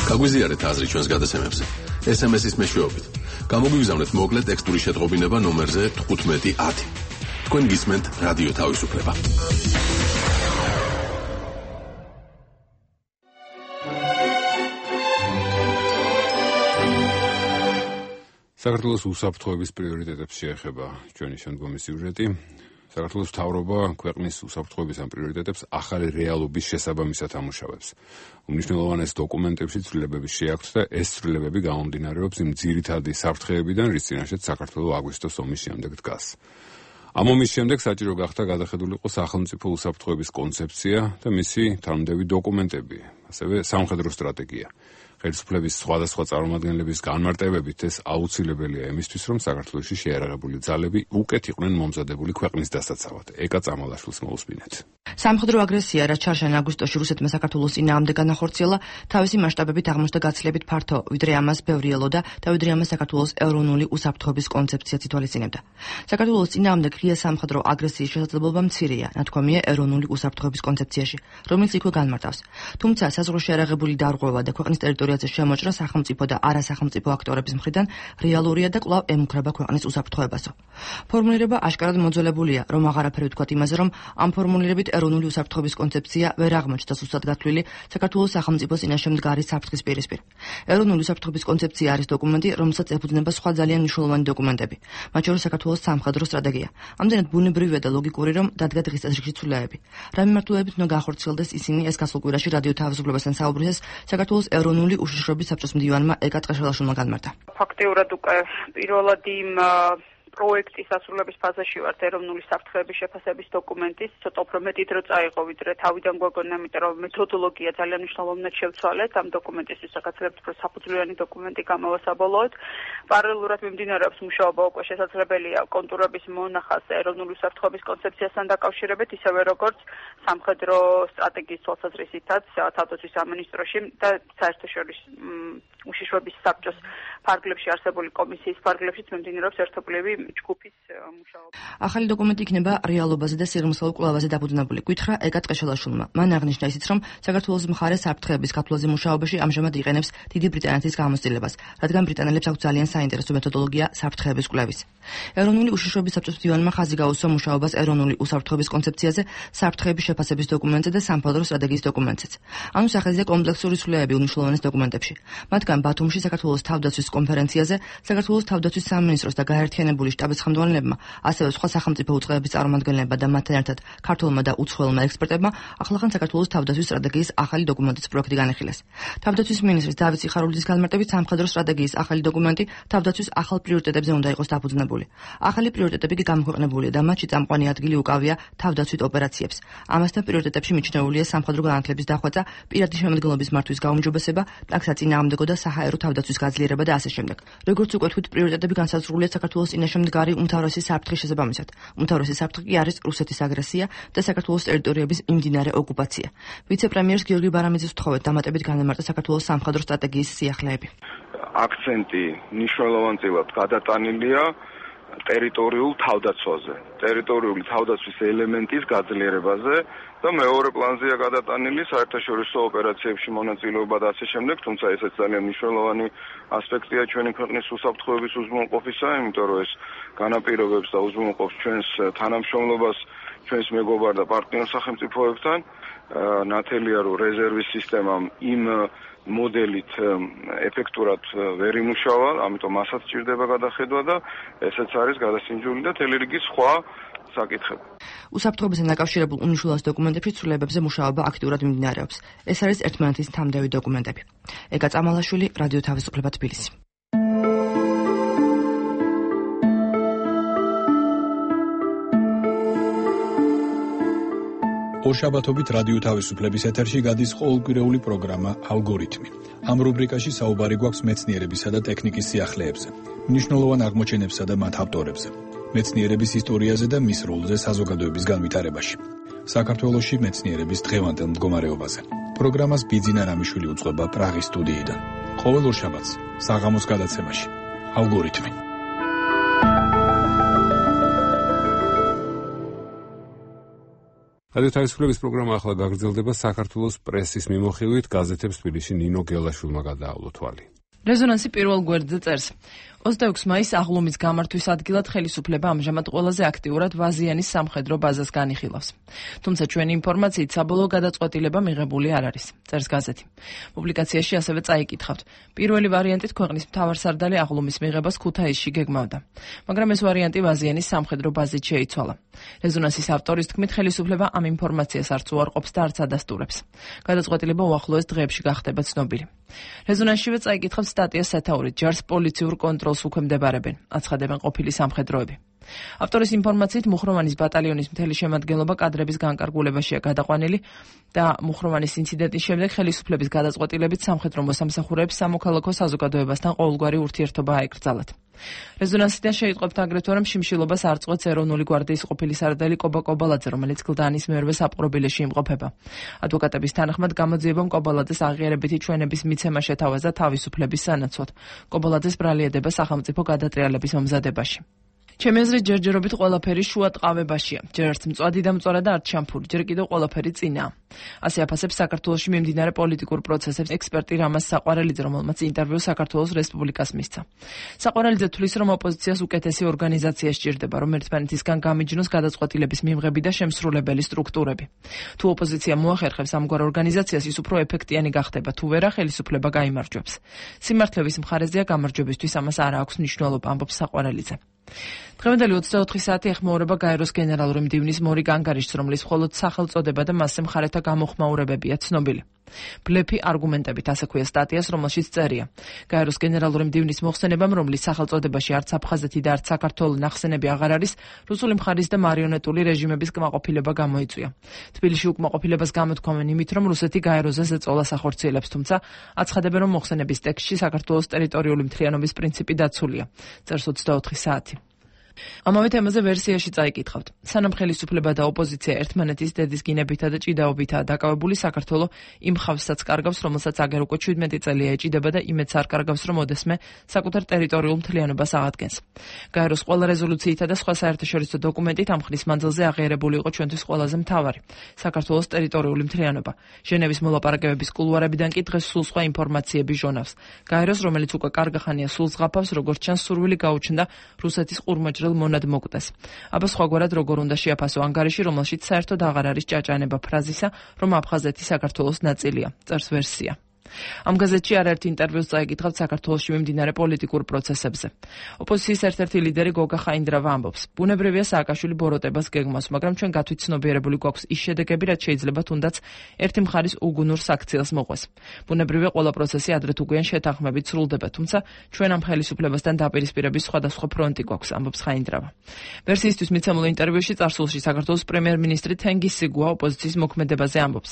გაგვიზიარეთ აზრი ჩვენს გადაცემებზე. ეს ემ ეს-ის მეშვეობით. გამოგვიგზავნეთ მოკლე ტექსტური შეტყობინება ნომერზე თხუთმეტი ათი. თქვენ გისმენთ რადიო თავისუფლება. საქართველოს უსაფრთხოების პრიორიტეტებს შეეხება ჩვენი შემდგომი სიუჟეტი. საქართველოს მთავრობა ქვეყნის უსაფრთხოების ამ პრიორიტეტებს ახალი რეალობის შესაბამისად ამუშავებს. უმნიშვნელოვანეს დოკუმენტებში ცვლილებების შეაქვთ და ეს ცვლილებები გამომდინარეობს იმ ძირითადი საფრთხეებიდან, რის წინაშეც საქართველო აგვისტოს ომის შემდეგ დგას. ამ ომის შემდეგ საჭირო გახდა გადახედულიყო სახელმწიფო უსაფრთხოების კონცეფცია და მისი თანმიმდევრი დოკუმენტები, ასევე სამხედრო სტრატეგია. ხელისუფლების სხვადასხვა წარმომადგენლების განმარტებებით ეს აუცილებელია იმისთვის, რომ საქართველოში შეიარაღებული ძალები უკეთ იყვნენ მომზადებული ქვეყნის დასაცავად. ეკა წამალაშვილს მოусმინეთ. სამხედრო აგრესია, რაც ჩარშან აგვისტოში რუსეთმა საქართველოს წინააღმდეგ განახორციელა, თავისი მასშტაბებით აღმოჩნდა გაცილებით ფართო, ვიდრე ამას ბევრი ელოდა და ვიდრე ამას საქართველოს ეროვნული უსაფრთხოების კონცეფციაც ითვალისწინებდა. საქართველოს წინააღმდეგ ღია სამხედრო აგრესიის შესაძლებლობა მცირეა, ნათქვამია ეროვნული უსაფრთხოების კონცეფციაში, რომელიც იქვე განმარტავს. თუმცა საზღვრო შეიარაღებული დარღვევა და ქვეყნის ტერიტორიაზე შემოჭრა სახელმწიფო და არასახელმწიფო აქტორების მხრიდან რეალურია და კვლავ ემუქრება ქვეყნის უსაფრთხოებასო. ფორმულირება აშკარად მოძველებულია, რომ აღარაფერი ვთქვათ იმაზე, რომ ამ ფორმულირებით ეროვნული უსაფრთხოების კონცეფცია ვერ აღმოჩნდა სუსტად გათვლილი საქართველოს სახელმწიფოს წინაშე მდგარი საფრთხის პირისპირ. ეროვნული უსაფრთხოების კონცეფცია არის დოკუმენტი, რომელსაც ეფუძნება სხვა ძალიან მნიშვნელოვანი დოკუმენტები, მათ შორის საქართველოს სამხედრო სტრატეგია. ამდენად ბუნებრივია და ლოგიკური, რომ დადგა დღის წესრიგში ცვლილებები. რა მიმართულებით უნდა გახორციელდეს ისინი ეს გასულ კვირაში რადიო თავისუფლებასთან საუბრისას საქართველოს ეროვნული უშიშროების საბჭოს მდივანმა ეკა ტყეშელაშვილმა განმარტა. ფაქტიურად უკვე პირველად იმ პროექტის ასრულების ფაზაში ვართ ეროვნული საფრთხეების შეფასების დოკუმენტის, ცოტა უფრო მეტი დრო წაიღო, ვიდრე თავიდან გვაგონა, იმიტომ რომ მეთოდოლოგია ძალიან მნიშვნელოვნად შევცვალეთ ამ დოკუმენტისთვის, საკაცრებთ უფრო საფუძვლიანი დოკუმენტი გამოვასაბოლოოთ. პარალელურად მიმდინარეობს მუშაობა უკვე შესაძლებელია კონტურების მონახას ეროვნული საფრთხეების კონცეფციასთან დაკავშირებით, ისევე როგორც სამხედრო სტრატეგიის თვალსაზრისითაც თავდაცვის სამინისტროში და საერთაშორისო უშიშროების საბჭოს ფარგლებში არსებული კომისიის ფარგლებშიც მიმდინარეობს ერთობლივი ჯგუფის მუშაობა. ახალი დოკუმენტი იქნება რეალობაზე და სიღრმისეულ კვლევაზე დაფუძნებული. გითხრა ეკა ტყეშელაშვილმა. მან აღნიშნა ისიც, რომ საქართველოს მხარე საფრთხეების გაფლაზე მუშაობაში ამჟამად იყენებს დიდი ბრიტანეთის გამოცდილებას, რადგან ბრიტანელებს აქვს ძალიან საინტერესო მეთოდოლოგია საფრთხეების კვლევის. ეროვნული უშიშროების საბჭოს მდივანმა ხაზი გაუსვა მუშაობას ეროვნული უსაფრთხოების კონცეფციაზე, საფრთხეების შეფასების დოკუმენტზე და სამხედრო სტრატეგიის დოკუმენტზეც. ანუ სახელზე კომპლექსური ცვლილებები უნიშნულოვანეს დოკუმენტებში. მათგან ბათუმში საქართველოს თავდაცვის კონფერენციაზე საქართველოს თავდაცვის სამინისტროს და გაერთიანებული შტაბის ხელმძღვანელებმა, ასევე სხვა სახელმწიფო უწყებების წარმომადგენლებმა და მათთან ერთად ქართველმა და უცხოელმა ექსპერტებმა ახლახან საქართველოს თავდაცვის სტრატეგიის ახალი დოკუმენტის პროექტი განიხილეს. თავდაცვის მინისტრის დავით სიხარულიძის განმარტებით სამხედრო სტრატეგიის ახალი დოკუმენტი თავდაცვის ახალ პრიორიტეტებზე უნდა იყოს დაფუძნებული. ახალი პრიორიტეტები კი გამოქვეყნებულია და მათში წამყვანი ადგილი უკავია თავდაცვით ოპერაციებს. ამასთან პრიორიტეტებში მიჩნეულია სამხედრო განათლების დახვეწა, პირადი შემადგენლობის მართვის გაუმჯობესება, ტაქსაწინააღმდეგო და საჰაერო თავდაცვის გაძლიერება და ასე შემდეგ. როგორც უკვე თქვით, პრიორიტეტები განსაზღვრულია საქართველოს წინაშე მდგარი უმთავრესი საფრთხის შესაბამისად. უმთავრესი საფრთხე კი არის რუსეთის აგრესია და საქართველოს ტერიტორიების იმდინარე ოკუპაცია. ვიცე-პრემიერს გიორგი ბარამიძის ვთხოვეთ დამატებით განემარტა საქართველოს სამხედრო სტრატეგიის სიახლეები. აქცენტი მნიშვნელოვანწილად გადატანილია ტერიტორიულ თავდაცვაზე, ტერიტორიული თავდაცვის ელემენტის გაძლიერებაზე და მეორე პლანზეა გადატანილი საერთაშორისო ოპერაციებში მონაწილეობა და ასე შემდეგ, თუმცა ესეც ძალიან მნიშვნელოვანი ასპექტია ჩვენი ქვეყნის უსაფრთხოების უზრუნველყოფისა, იმიტომ რომ ეს განაპირობებს და უზრუნველყოფს ჩვენს თანამშრომლობას ჩვენს მეგობარ და პარტნიორ სახელმწიფოებთან. ნათელია რომ რეზერვის სისტემამ იმ მოდელით ეფექტურად ვერ იმუშავა, ამიტომ მასაც სჭირდება გადახედვა და ესეც არის გადასინჯული და თელი რიგი სხვა საკითხები. უსაფრთხოებასთან დაკავშირებულ უნიშნულოვანეს დოკუმენტებში ცვლილებებზე მუშაობა აქტიურად მიმდინარეობს. ეს არის ერთმანეთის თამდევი დოკუმენტები. ეკა წამალაშვილი, რადიო თავისუფლება თბილისი. ორშაბათობით რადიო თავისუფლების ეთერში გადის ყოველკვირეული პროგრამა ალგორითმი. ამ რუბრიკაში საუბარი გვაქვს მეცნიერებისა და ტექნიკის სიახლეებზე, მნიშვნელოვან აღმოჩენებსა და მათ ავტორებზე, მეცნიერების ისტორიაზე და მის როლზე საზოგადოების განვითარებაში. საქართველოში მეცნიერების დღევანდელ მდგომარეობაზე. პროგრამას ბიძინა რამიშვილი უძღვება პრაღის სტუდიიდან. ყოველ ორშაბათს საღამოს გადაცემაში ალგორითმი. რადიო თავისუფლების პროგრამა ახლა გაგრძელდება საქართველოს პრესის მიმოხილვით, გაზეთებს თბილისში ნინო გელაშვილმა გადაავლო თვალი. რეზონანსი პირველ გვერდზე წერს: ოცდაექვსი მაისს აღლუმის გამართვის ადგილად ხელისუფლება ამჟამად ყველაზე აქტიურად ვაზიანის სამხედრო ბაზას განიხილავს. თუმცა ჩვენი ინფორმაციით საბოლოო გადაწყვეტილება მიღებული არ არის, წერს გაზეთი. პუბლიკაციაში ასევე წაიკითხავთ: პირველი ვარიანტით ქვეყნის მთავარსარდალი აღლუმის მიღებას ქუთაისში გეგმავდა, მაგრამ ეს ვარიანტი ვაზიანის სამხედრო ბაზით შეიცვალა. რეზონანსის ავტორის თქმით, ხელისუფლება ამ ინფორმაციას არც უარყოფს და არც ადასტურებს. გადაწყვეტილება უახლოეს დღეებში გახდება ცნობილი. რეზონანსშივე წაიკითხავთ სტატიას სათაურით: ჯარს პოლიციურ კონტროლს უქვემდებარებენ, აცხადებენ ყოფილი სამხედროები. ავტორის ინფორმაციით მუხროვანის ბატალიონის მთელი შემადგენლობა კადრების განკარგულებაშია გადაყვანილი და მუხროვანის ინციდენტის შემდეგ ხელისუფლების გადაწყვეტილებით სამხედრო მოსამსახურეებს სამოქალაქო საზოგადოებასთან ყოველგვარი ურთიერთობა აეკრძალათ. რეზონანსიდან შეიტყვებთ აგრეთვე, რომ შიმშილობას არ წყვეტს ეროვნული გვარდიის ყოფილი სარდალი კობა კობალაძე, რომელიც გლდანის მერვე საპყრობილეში იმყოფება. ადვოკატების თანახმად გამოძიებამ კობალაძეს აღიარებითი ჩვენების მიცემა შეთავაზა თავისუფლების სანაცვლოდ. კობალაძეს ბრალიადება სახელმწიფო გადატრიალების მომზადებაში. ჩემი აზრით, ჯერჯერობით ყველაფერი შუა ტყავებაშია. ჯერ არც მწვადი და მწვარა და არც შამფური, ჯერ კიდევ ყველაფერი წინაა. ასე აფასებს საქართველოში მიმდინარე პოლიტიკურ პროცესებს ექსპერტი რამაზ საყვარელიძე, რომელმაც ინტერვიუ საქართველოს რესპუბლიკას მისცა. საყვარელიძე თვლის, რომ ოპოზიციას უკეთესი ორგანიზაცია სჭირდება, რომ ერთმანეთისგან გამიჯნოს გადაწყვეტილების მიღები და შემსრულებელი სტრუქტურები. თუ ოპოზიცია მოახერხებს ამგვარ ორგანიზაციას, ის უფრო ეფექტიანი გახდება, თუ ვერა ხელისუფლება გაიმარჯვებს. სიმართლეების მხარეზეა გამარჯვებისთვის, ამას არ აქვს მნიშვნელობა, ამბობს საყვარელიძე. დღევანდელი ოცდაოთხი საათი ეხმაურება გაეროს გენერალური მდივნის მორიგ ანგარიშს, რომლის მხოლოდ სახელწოდება და მასზე მხარეთა გამოხმაურებებია ცნობილი. ბლეფი არგუმენტებით, ასე ქვია სტატიას, რომელშიც წერია: გაეროს გენერალური მდივნის მოხსენებამ, რომლის სახელწოდებაში არც აფხაზეთი და არც საქართველო ნახსენები აღარ არის, რუსული მხარის და მარიონეტული რეჟიმების კმაყოფილება გამოიწვია. თბილისში უკმაყოფილებას გამოთქვამენ იმით, რომ რუსეთი გაეროზე ზეწოლას ახორციელებს, თუმცა აცხადებენ, რომ მოხსენების ტექსტში საქართველოს ტერიტორიული მთლიანობის პრინციპი დაცულია, წერს ოცდაოთხი საათი. ამავე თემაზე ვერსიაში წაიკითხავთ. სანამ ხელისუფლება და ოპოზიცია ერთმანეთის დედის გინებითა და ჭიდაობითაა დაკავებული, საქართველო იმ ხავსაც კარგავს, რომელსაც აგერ უკვე ჩვიდმეტი წელია ეჭიდება და იმედს არ კარგავს, რომ ოდესმე საკუთარ ტერიტორიულ მთლიანობას აღადგენს. გაეროს ყველა რეზოლუციითა და სხვა საერთაშორისო დოკუმენტით ამ ხნის მანძილზე აღიარებული იყო ჩვენთვის ყველაზე მთავარი საქართველოს ტერიტორიული მთლიანობა. ჟენევის მოლაპარაკებების კულუარებიდან კი დღეს სულ სხვა ინფორმაციები ჟონავს. გაეროს, რომელიც უკვე კარგა ხანია სულს ღაფავს, როგორც ჩანს, სურვილი გაუჩნდა რუსეთის ყურმაჭრელ მონად მოკვდეს. აბა სხვაგვარად როგორ უნდა შეაფასო ანგარიში, რომელშიც საერთოდ აღარ არის ჭაჭანება ფრაზისა, რომ აფხაზეთი საქართველოს ნაწილია. წერს ვერსია. ამ გაზეთში არაერთ ინტერვიუს წაიკითხავთ საქართველოში მიმდინარე პოლიტიკურ პროცესებზე. ოპოზიციის ერთ-ერთი ლიდერი გოგა ხაინდრავა ამბობს: ბუნებრივია სააკაშვილი ბოროტებას გეგმავს, მაგრამ ჩვენ გათვითცნობიერებული გვაქვს ის შედეგები, რაც შეიძლება თუნდაც ერთი მხარის უგუნურ საქციელს მოყვეს. ბუნებრივია ყველა პროცესი ადრეთ უგვიან შეთანხმებით სრულდება, თუმცა ჩვენ ამ ხელისუფლებასთან დაპირისპირების სხვადასხვა ფრონტი გვაქვს, ამბობს ხაინდრავა. ვერსიისთვის მიცემულ ინტერვიუში წარსულში საქართველოს პრემიერ-მინისტრი თენგიზ სიგუა ოპოზიციის მოქმედებაზე ამბობს: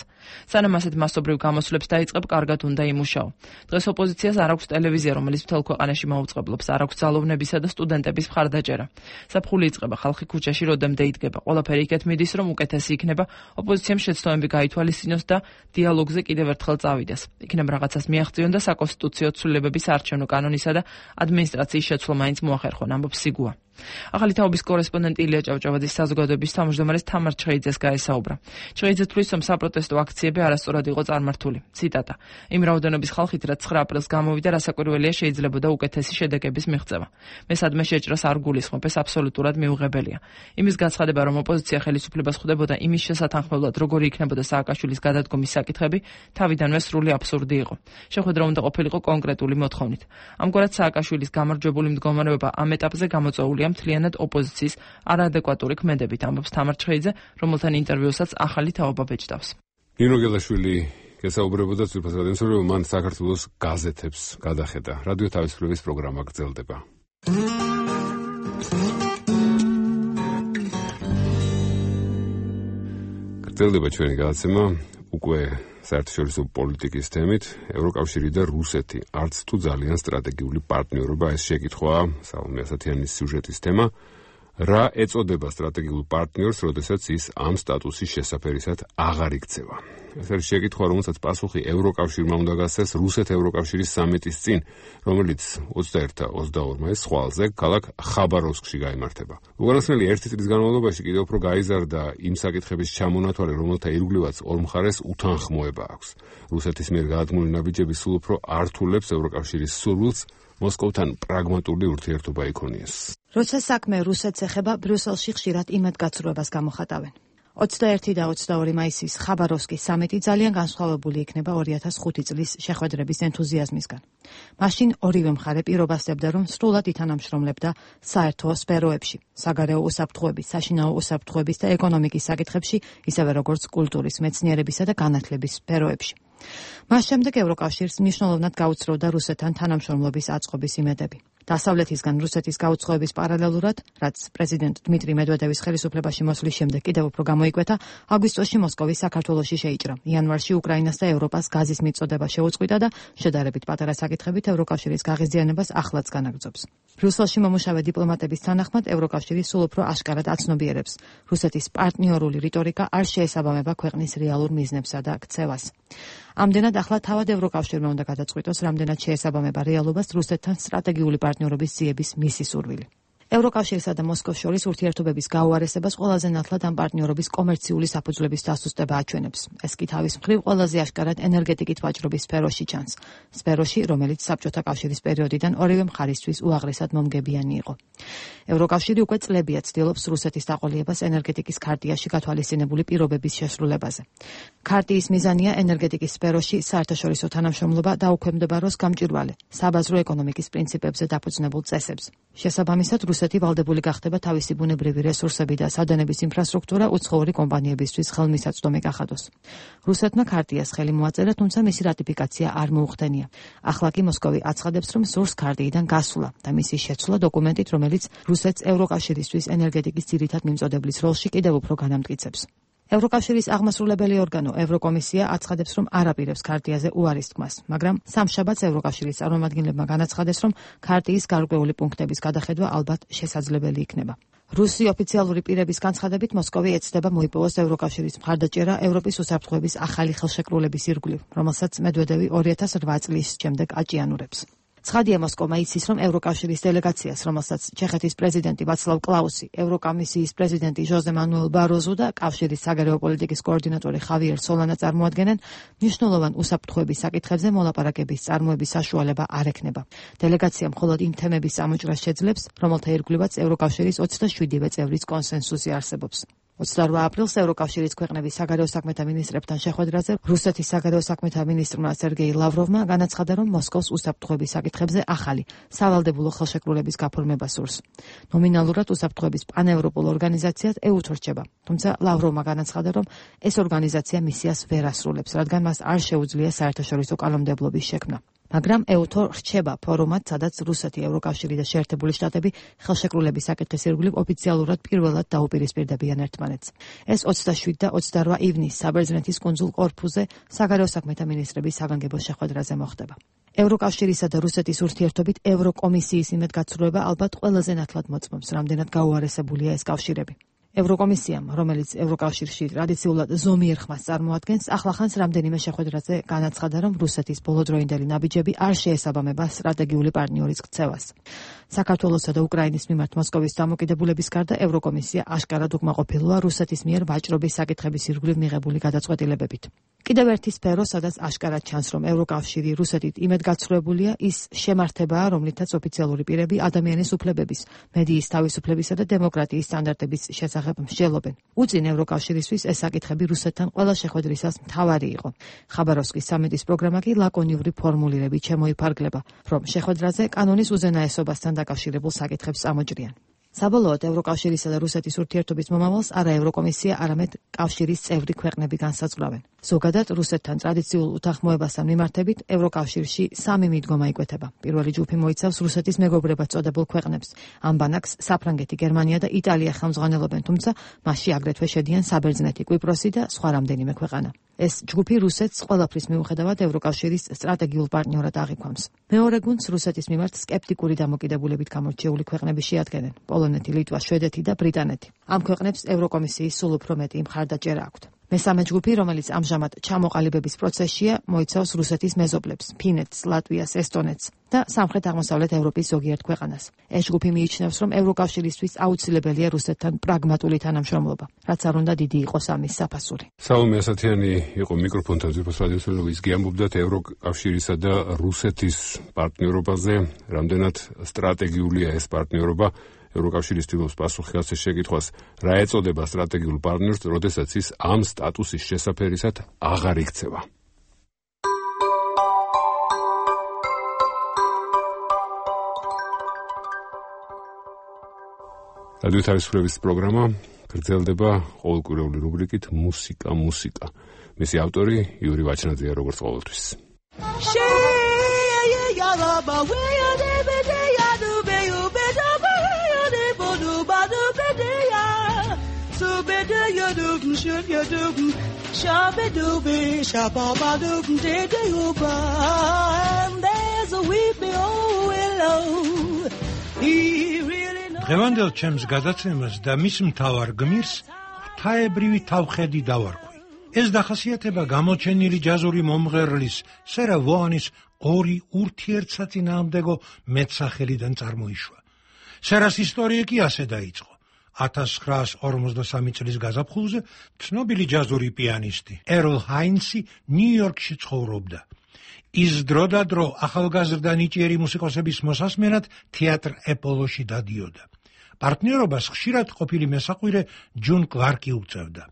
სანამ ასეთ მასობრივ გამოსვლებს დაიწყებ, კარგად უნდა იმუშაო. დღეს ოპოზიციას არ აქვს ტელევიზია, რომელიც მთელ ქვეყანაში მაუწყებლობს, არ აქვს ძალოვნებისა და სტუდენტების მხარდაჭერა. საფხული იწყება, ხალხი ქუჩაში როდემდე იდგება. ყველაფერი იქეთ მიდის, რომ უკეთესი იქნება, ოპოზიციამ შეცდომები გაითვალისწინოს და დიალოგზე კიდევ ერთხელ წავიდეს. იქნებ რაღაცას მიაღწიონ და საკონსტიტუციო ცვლილებების არჩევნო კანონისა და ადმინისტრაციის შეცვლა მაინც მოახერხონ, ამბობს სიგუა. ახალი თაობის კორესპონდენტი ილია ჭავჭავაძის საზოგადოების თავმჯდომარეს თამარ ჩხეიძეს გაესაუბრა. ჩხეიძე თვლის, რომ საპროტესტო აქციები არასწორად იყო წარმართული. ციტატა: იმ რაოდენობის ხალხით, რაც ცხრა აპრილს გამოვიდა, რასაკვირველია შეიძლებოდა უკეთესი შედეგების მიღწევა. მე სადმე შეჭრას არ გულისხმობ, ეს აბსოლუტურად მიუღებელია. იმის განცხადება, რომ ოპოზიცია ხელისუფლებას ხვდებოდა იმის შესათანხმებლად, როგორი იქნებოდა სააკაშვილის გადადგომის საკითხები, თავიდანვე სრული აბსურდი იყო. შეხვედრა უნდა ყოფილიყო კონკრეტული მოთხოვნით. ამგვარად სააკაშვილის გამარჯვებული მდგომარეობა ამ ეტაპზე გამოწვეულია მთლიანად ოპოზიციის არაადეკვატური ქმედებით, ამბობს თამარ ჩხეიძე, რომელთან ინტერვიუსაც ახალი თაობა ბეჭდავს. ნინო გელაშვილი გესაუბრებოდა ძვირფას რადიოსთან, რომ მან საქართველოს გაზეთებს გადახედა. რადიო თავისუფლების პროგრამა გრძელდება. გრძელდება ჩვენი გადაცემა უკვე საერთაშორისო პოლიტიკის თემით. ევროკავშირი და რუსეთი არც თუ ძალიან სტრატეგიული პარტნიორობა, ეს შეკითხვაა სალომე ასათიანის სიუჟეტის თემა. რა ეწოდება სტრატეგიულ პარტნიორს, როდესაც ის ამ სტატუსის შესაფერისად აღარ იქცევა? ეს არის შეკითხვა, რომელსაც პასუხი ევროკავშირმა უნდა გასცეს რუსეთ-ევროკავშირის სამიტის წინ, რომელიც ოცდაერთი და ოცდაორი მაისს ხვალზე ქალაქ ხაბაროვსკში გაიმართება. უკანასკნელი ერთი წლის განმავლობაში კიდევ უფრო გაიზარდა იმ საკითხების ჩამონათვალი, რომელთა ირგვლივაც ორ მხარეს უთანხმოება აქვს. რუსეთის მიერ გადადგმული ნაბიჯები სულ უფრო ართულებს ევროკავშირის სურვილს მოსკოვთან პრაგმატული ურთიერთობა იქონიეს. როცა საქმე რუსეთს ეხება, ბრიუსელში ხშირად იმედგაცრუებას გამოხატავენ. ოცდაერთი და ოცდაორი მაისის ხაბაროვსკის სამიტი ძალიან განსხვავებული იქნება ორი ათას ხუთი წლის შეხვედრების ენთუზიაზმისგან. მაშინ ორივე მხარე პირობასდებდა, რომ სრულად ითანამშრომლებდა საერთო სფეროებში, საგარეო უსაფრთხოების, საშინაო უსაფრთხოების და ეკონომიკის საკითხებში, ისევე როგორც კულტურის, მეცნიერებისა და განათლების სფეროებში. მას შემდეგ ევროკავშირს მნიშვნელოვნად გაუცროვდა რუსეთთან თანამშრომლობის აწყობის იმედები. დასავლეთისგან რუსეთის გაუცხოების პარალელურად, რაც პრეზიდენტ დმიტრი მედვედევის ხელისუფლებაში მოსვლის შემდეგ კიდევ უფრო გამოიკვეთა, აგვისტოში მოსკოვი საქართველოში შეიჭრა. იანვარში უკრაინას და ევროპას გაზის მიწოდება შეუწყვიტა და შედარებით პატარა საკითხებით ევროკავშირის გაღიზიანებას ახლაც განაგრძობს. ბრიუსელში მომუშავე დიპლომატების თანახმად, ევროკავშირი სულ უფრო აშკარად აცნობიერებს. რუსეთის პარტნიორული რიტორიკა არ შეესაბამება ქვეყნის რეალურ მიზნებსა და ქცევას. ამდენად ახლა თავად ევროკავშირმა უნდა გადაწყვიტოს, რამდენად შეესაბამება რეალობას რუსეთთან სტრატეგიული პარტნიორობის ძიების მისი სურვილი. ევროკავშირსა და მოსკოვს შორის ურთიერთობების გაუარესებას ყველაზე ნათლად ამ პარტნიორობის კომერციული საფუძვლების დასუსტება აჩვენებს. ეს კი თავის მხრივ ყველაზე აშკარად ენერგეტიკით ვაჭრობის სფეროში ჩანს. სფეროში, რომელიც საბჭოთა კავშირის პერიოდიდან ორივე მხარისთვის უაღრესად მომგებიანი იყო. ევროკავშირი უკვე წლებია ცდილობს რუსეთის დაყოლიებას ენერგეტიკის ქარტიაში გათვალისწინებული პირობების შესრულებაზე. ქარტიის მიზანია ენერგეტიკის სფეროში საერთაშორისო თანამშრომლობა დაუქვემდებაროს გამჭვირვალე საბაზრო ეკონომიკის პრინციპებზე დაფუძნებულ წესებს. შესაბამისად, რუსეთი ვალდებული გახდება თავისი ბუნებრივი რესურსები და სადენების ინფრასტრუქტურა უცხოური კომპანიებისთვის ხელმისაწვდომი გახადოს. რუსეთმა ქარტიას ხელი მოაწერა, თუმცა მისი რატიფიკაცია არ მოუხდენია. ახლა კი მოსკოვი აცხადებს, რომ სურს ქარტიიდან გასვლა და მისი შეცვლა დოკუმენტით, რომელიც რუსეთს ევროკავშირისთვის ენერგეტიკის ძირითად მიმწოდებლის როლში კიდევ უფრო განამტკიცებს. ევროკავშირის აღმასრულებელი ორგანო ევროკომისია აცხადებს, რომ არ აპირებს ქარტიაზე უარის თქმას, მაგრამ სამშაბათს ევროკავშირის წარმომადგენლებმა განაცხადეს, რომ ქარტიის გარკვეული პუნქტების გადახედვა ალბათ შესაძლებელი იქნება. რუსი ოფიციალური პირების განცხადებით მოსკოვი ეცდება მოიპოვოს ევროკავშირის მხარდაჭერა ევროპის უსაფრთხოების ახალი ხელშეკრულების ირგვლივ, რომელსაც მედვედევი ორი ათას რვა წლის შემდეგ აჭიანურებს. ცხადია მოსკოვმა იცის, რომ ევროკავშირის დელეგაციას, რომელსაც ჩეხეთის პრეზიდენტი ვაცლავ კლაუსი, ევროკომისიის პრეზიდენტი ჟოზე მანუელ ბაროზუ და კავშირის საგარეო პოლიტიკის კოორდინატორი ხავიერ სოლანა წარმოადგენენ, მნიშვნელოვან უსაფრთხოების საკითხებზე მოლაპარაკების წარმოების საშუალება არ ექნება. დელეგაცია მხოლოდ იმ თემების წამოჭრას შეძლებს, რომელთა ირგვლივაც ევროკავშირის ოცდაშვიდივე წევრის კონსენსუსი არსებობს. ოცდარვა აპრილს ევროკავშირის ქვეყნების საგარეო საქმეთა მინისტრებთან შეხვედრაზე რუსეთის საგარეო საქმეთა მინისტრმა სერგეი ლავროვმა განაცხადა, რომ მოსკოვს უსაფრთხოების საკითხებზე ახალი სავალდებულო ხელშეკრულების გაფორმება სურს. ნომინალურად უსაფრთხოების პანევროპულ ორგანიზაციად ეუთო რჩება, თუმცა ლავროვმა განაცხადა, რომ ეს ორგანიზაცია მისიას ვერ ასრულებს, რადგან მას არ შეუძლია საერთაშორისო კანონმდებლობის შექმნა. მაგრამ ეუთო რჩება ფორუმად, სადაც რუსეთი, ევროკავშირი და შეერთებული შტატები ხელშეკრულების საკითხის ირგვლივ ოფიციალურად პირველად დაუპირისპირდებიან ერთმანეთს. ეს ოცდაშვიდი და ოცდარვა ივნისს საბერძნეთის კუნძულ კორფუზე საგარეო საქმეთა მინისტრების საგანგებო შეხვედრაზე მოხდება. ევროკავშირისა და რუსეთის ურთიერთობით ევროკომისიის იმედგაცრუება ალბათ ყველაზე ნათლად მოწმობს, რამდენად გაუარესებულია ეს კავშირები. ევროკომისიამ, რომელიც ევროკავშირში ტრადიციულად ზომიერ ხმას წარმოადგენს, ახლახანს რამდენიმე შეხვედრაზე განაცხადა, რომ რუსეთის ბოლოდროინდელი ნაბიჯები არ შეესაბამება სტრატეგიული პარტნიორის ქცევას. საქართველოსა და უკრაინის მიმართ მოსკოვის დამოკიდებულების გარდა ევროკომისია აშკარად უკმაყოფილოა რუსეთის მიერ ვაჭრობის საკითხების ირგვლივ მიღებული გადაწყვეტილებებით. კიდევ ერთი სფერო, სადაც აშკარად ჩანს, რომ ევროკავშირი რუსეთით იმედგაცრუებულია, ის შემართებაა, რომლითაც ოფიციალური პირები ადამიანის უფლებების, მედიის თავისუფლებისა და დემოკრატიის სტანდარტების შესახებ მსჯელობენ. უწინ ევროკავშირისთვის ეს საკითხები რუსეთთან ყველა შეხვედრისას მთავარი იყო. ხაბაროვსკის სამიტის პროგრამა კი ლაკონიური ფორმულირებით შემოიფარგლება, რომ შეხვედრაზე კანონის უზენაესობასთან დაკავშირებულ საკითხებს წამოჭრიან. საბოლოოდ ევროკავშირისა და რუსეთის ურთიერთობის მომავალს არა ევროკომისია, არამედ კავშირის წევრი ქვეყნები განსაზღვრავენ. ზოგადად რუსეთთან ტრადიციულ უთანხმოებასთან მიმართებით ევროკავშირში სამი მიდგომა იკვეთება. პირველი ჯგუფი მოიცავს რუსეთის მეგობრებად წოდებულ ქვეყნებს. ამ ბანაკს საფრანგეთი, გერმანია და იტალია ხელმძღვანელობენ, თუმცა მასში აგრეთვე შედიან საბერძნეთი, კვიპროსი და სხვა რამდენიმე ქვეყანა. ეს ჯგუფი რუსეთს ყველაფრის მიუხედავად ევროკავშირის სტრატეგიულ პარტნიორად აღიქვამს. მეორე გუნდს რუსეთის მიმართ სკეპტიკური დამოკიდებულებით გამორჩეული ქვეყნები შეადგენენ: პოლონეთი, ლიტვა, შვედეთი და ბრიტანეთი. ამ ქვეყნებს ევროკომისიის სულ უფრო მეტი მხარდაჭერა აქვთ. მესამე ჯგუფი, რომელიც ამჟამად ჩამოყალიბების პროცესშია, მოიცავს რუსეთის მეზობლებს: ფინეთს, ლატვიას, ესტონეთს და სამხრეთ-აღმოსავლეთ ევროპის ზოგიერთ ქვეყანას. ეს ჯგუფი მიიჩნევს, რომ ევროკავშირისთვის აუცილებელია რუსეთთან პრაგმატული თანამშრომლობა, რაც არ უნდა დიდი იყოს ამის საფასური. საუმე ასათიანი იყო მიკროფონთან ძირფოს რადიოსმენელობის გიამბობდათ ევროკავშირისა და რუსეთის პარტნიორობაზე, რამდენად სტრატეგიულია ეს პარტნიორობა. ევროკავშირის თილოს პასუხი ასე შეკითხვას, რა ეწოდება სტრატეგიულ პარტნიორს, როდესაც ის ამ სტატუსის შესაფერისად აღარ იქცევა. რადიო თავისუფლების პროგრამა გრძელდება ყოველკვირეული რუბრიკით მუსიკა მუსიკა. მისი ავტორი იური ვაჩნაძეა, როგორც ყოველთვის. Should you do shabba dooby shabba doob did you ban there's a weepy old willow he really knows დღევანდელ ჩემს გადაცემას და მის მთავარ გმირს ღვთაებრივი თავხედი დავარქვი. ეს დახასიათება გამოჩენილი ჯაზური მომღერლის სერა ვოანის ორი ურთიერთსაწინააღმდეგო მეტსახელიდან წარმოიშვა. სერას ისტორია კი ასე დაიწყო. ათას ცხრაას ორმოცდასამი წლის გაზაფხულზე ცნობილი ჯაზური პიანისტი ერლ ჰაინსი ნიუ-იორკში ცხოვრობდა. ის დრო და დრო ახალგაზრდა ნიჭიერი მუსიკოსების მოსასმენად თეატრ ეპოლოში დადიოდა. პარტნიორობას ხშირად ყოფილი მესაყვირე ჯონ კლარკი უწევდა.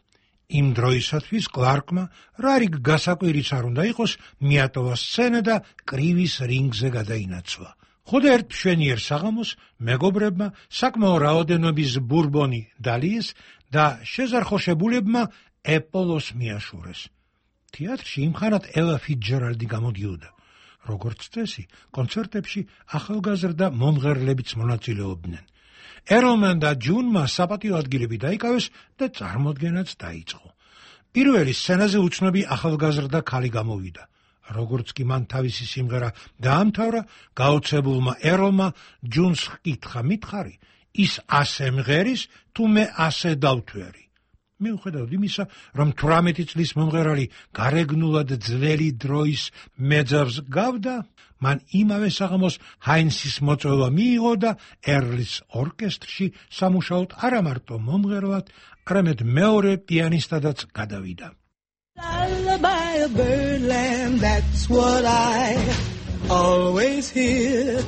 იმ დროისათვის კლარკმა რა რიგ გასაკვირიც არ უნდა იყოს, მიატოვა სცენა და კრივის რინგზე გადაინაცვლა. ხოდა ერთ მშვენიერ საღამოს მეგობრებმა საკმაო რაოდენობის ბურბონი დალიეს და შეზარხოშებულებმა ეპოლოს მიაშურეს. თეატრში იმხანად ელა ფიცჯერალდი გამოდიოდა. როგორც წესი, კონცერტებში ახალგაზრდა მომღერლებიც მონაწილეობდნენ. ერლმან და ჯუნმა საპატიო ადგილები დაიკავეს და წარმოდგენაც დაიწყო. პირველი სცენაზე უცნობი ახალგაზრდა ქალი გამოვიდა. როგორც კი მან თავისი სიმღერა დაამთავრა, გაოცებულმა ერლმა ჯუნს ჰკითხა მითხარი, ის ასე მღერის, თუ მე ასე დავთვერი. მიუხედავად იმისა, რომ თვრამეტი წლის მომღერალი გარეგნულად ძველი დროის მეძავს გავდა, მან იმავე საღამოს ჰაინსის მოწვევა მიიღო და ერლის ორკესტრში სამუშაოდ არა მარტო მომღერლად, არამედ მეორე პიანისტადაც გადავიდა. Lullaby of birdland, that's what I always hear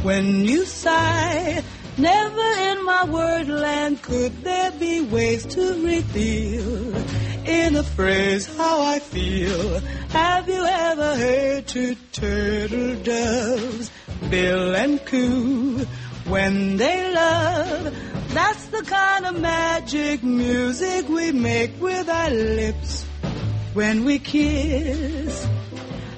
when you sigh. Never in my wordland could there be ways to reveal in a phrase how I feel. Have you ever heard two turtle doves bill and coo when they love? That's the kind of magic music we make with our lips when we kiss.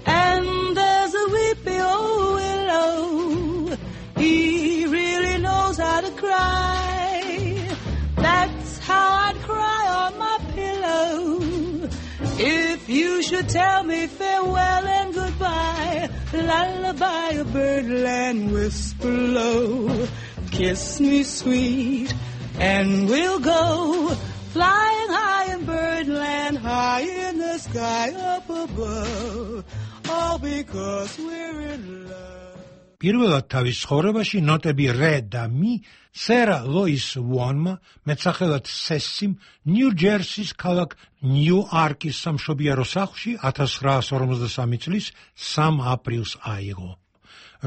And there's a weepy old willow, he really knows how to cry. That's how I'd cry on my pillow if you should tell me farewell and goodbye. Lullaby of birdland, whisper low, kiss me sweet and we'll go flying high in birdland, high in the sky up above, all because we're in love. პირველად თავის ცხოვრებაში ნოტები რე და მი სერა ლოის უონმა, მეტსახელად სესიმ, ნიუ-ჯერსის ქალაქ ნიუ-არკის სამშობიარო სახლში ათას ცხრაასი ორმოცდასამი წლის სამი აპრილს აიღო.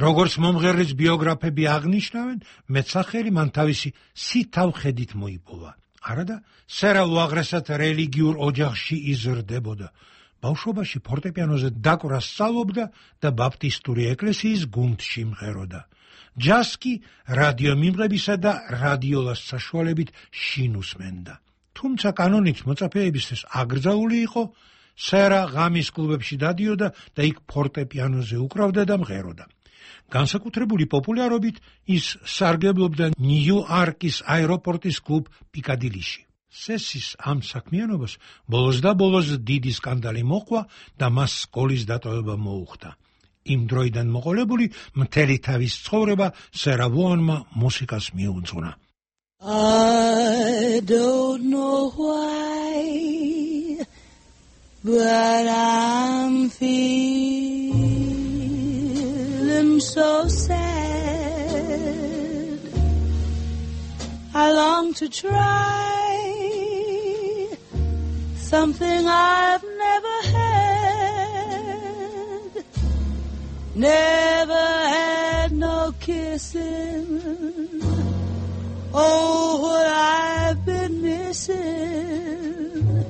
როგორც მომღერლის ბიოგრაფები აღნიშნავენ, მეტსახელი მან თავისი სითავხედით მოიპოვა. არადა, სერა უაღრესად რელიგიურ ოჯახში იზრდებოდა. ბავშვობაში ფორტეპიანოზე დაკვრას სწავლობდა და ბაპტისტური ეკლესიის გუნდში მღეროდა. ჯაზს კი რადიო მიმღებისა და რადიოლას საშუალებით შინ უსმენდა. თუმცა კანონით მოწაფეებისთვის აკრძალული იყო, სერა ღამის კლუბებში დადიოდა და იქ ფორტეპიანოზე უკრავდა და მღეროდა. განსაკუთრებული პოპულარობით ის სარგებლობდა ნიუ-არკის აეროპორტის კლუბ პიკადილიში. სესის ამ საქმიანობას ბოლოს და ბოლოს დიდი სკანდალი მოყვა და მას სკოლის დატოვება მოუხდა. იმ დროიდან მოყოლებული მთელი თავის ცხოვრება სერა ვონმა მუსიკას მიუძღვნა. I don't know why, but I'm feeling so sad. I long to try something I've never had, never had no kissing. Oh, what I've been missing.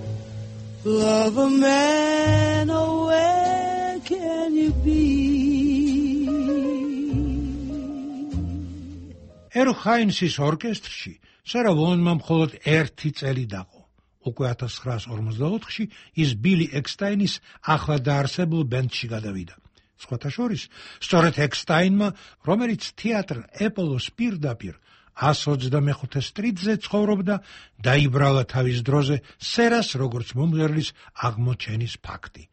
Love a man, oh, where can you be? ერლ ჰაინსის ორკესტრში სერა ვონმა მხოლოდ ერთი წელი დაყო. უკვე ათას ცხრაასი ორმოცდაოთხში ის ბილი ექსტაინის ახლა დაარსებულ ბენდში გადავიდა. სხვათა შორის, სწორედ ექსტაინმა, რომელიც თეატრ ეპოლოს პირდაპირ ას ოცდამეხუთე სტრიტზე ცხოვრობდა, დაიბრალა თავის დროზე სერას როგორც მომღერლის აღმოჩენის ფაქტი.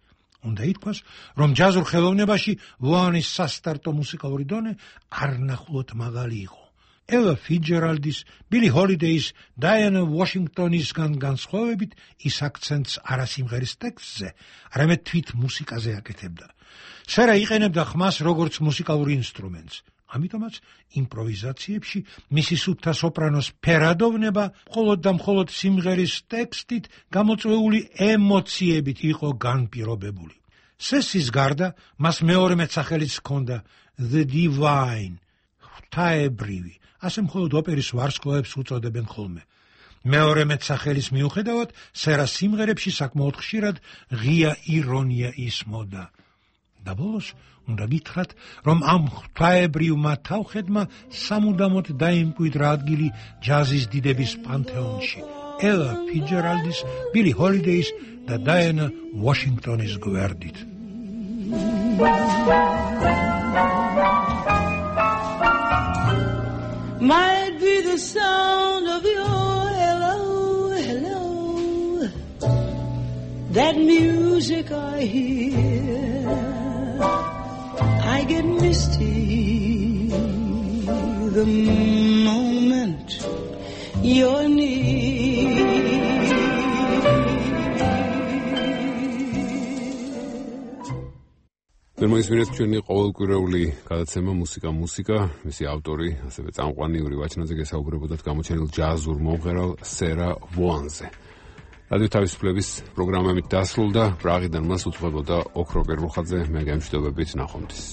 უნდა ითქვას, რომ ჯაზურ ხელოვნებაში ვოანის სასტარტო მუსიკალური დონე არნახულოდ მაღალი იყო. ელა ფიჯერალდის, ბილი ჰოლიდეის, დაიანა ვაშინგტონისგან განსხვავებით, ის აქცენტს არა სიმღერის ტექსტზე, არამედ თვით მუსიკაზე აკეთებდა. სერა იყენებდა ხმას როგორც მუსიკალურ ინსტრუმენტს. ამიტომაც იმპროვიზაციებში მისი სუფთა სოპრანოს ფერადოვნება მხოლოდ და მხოლოდ სიმღერის ტექსტით გამოწვეული ემოციებით იყო განპირობებული. სესის გარდა მას მეორე მეტსახელიც ჰქონდა The Divine, ღვთაებრივი, ასე მხოლოდ ოპერის ვარსკვლავებს უწოდებენ ხოლმე. მეორე მეტსახელის მიუხედავად, სერას სიმღერებში საკმაოდ ხშირად ღია ირონია ისმოდა. და ბოლოს უნდა გითხრათ, რომ ამ ღვთაებრივმა თავხედმა სამუდამოდ დაიმკვიდრა ადგილი ჯაზის დიდების პანთეონში, ელა ფიჯერალდის, ბილი ჰოლიდეის და დაიანა ვაშინგტონის გვერდით. Might be the sound of your hello, hello, that music I hear, I get misty the moment you're near. Მოისმინეთ ჩვენი ყოველკვირეული გადაცემა მუსიკა მუსიკა, მისი ავტორი, ასევე წამყვანი იური ვაჩნაძე გესაუბრებოდათ გამოჩენილ ჯაზურ მომღერალ სერა ვოანზე. რადიო თავისუფლების პროგრამებით დასრულდა, პრაღიდან მას უძღვებოდა ოქრო პერლუხაძე, მე გამშვიდობებით ნახვამდის.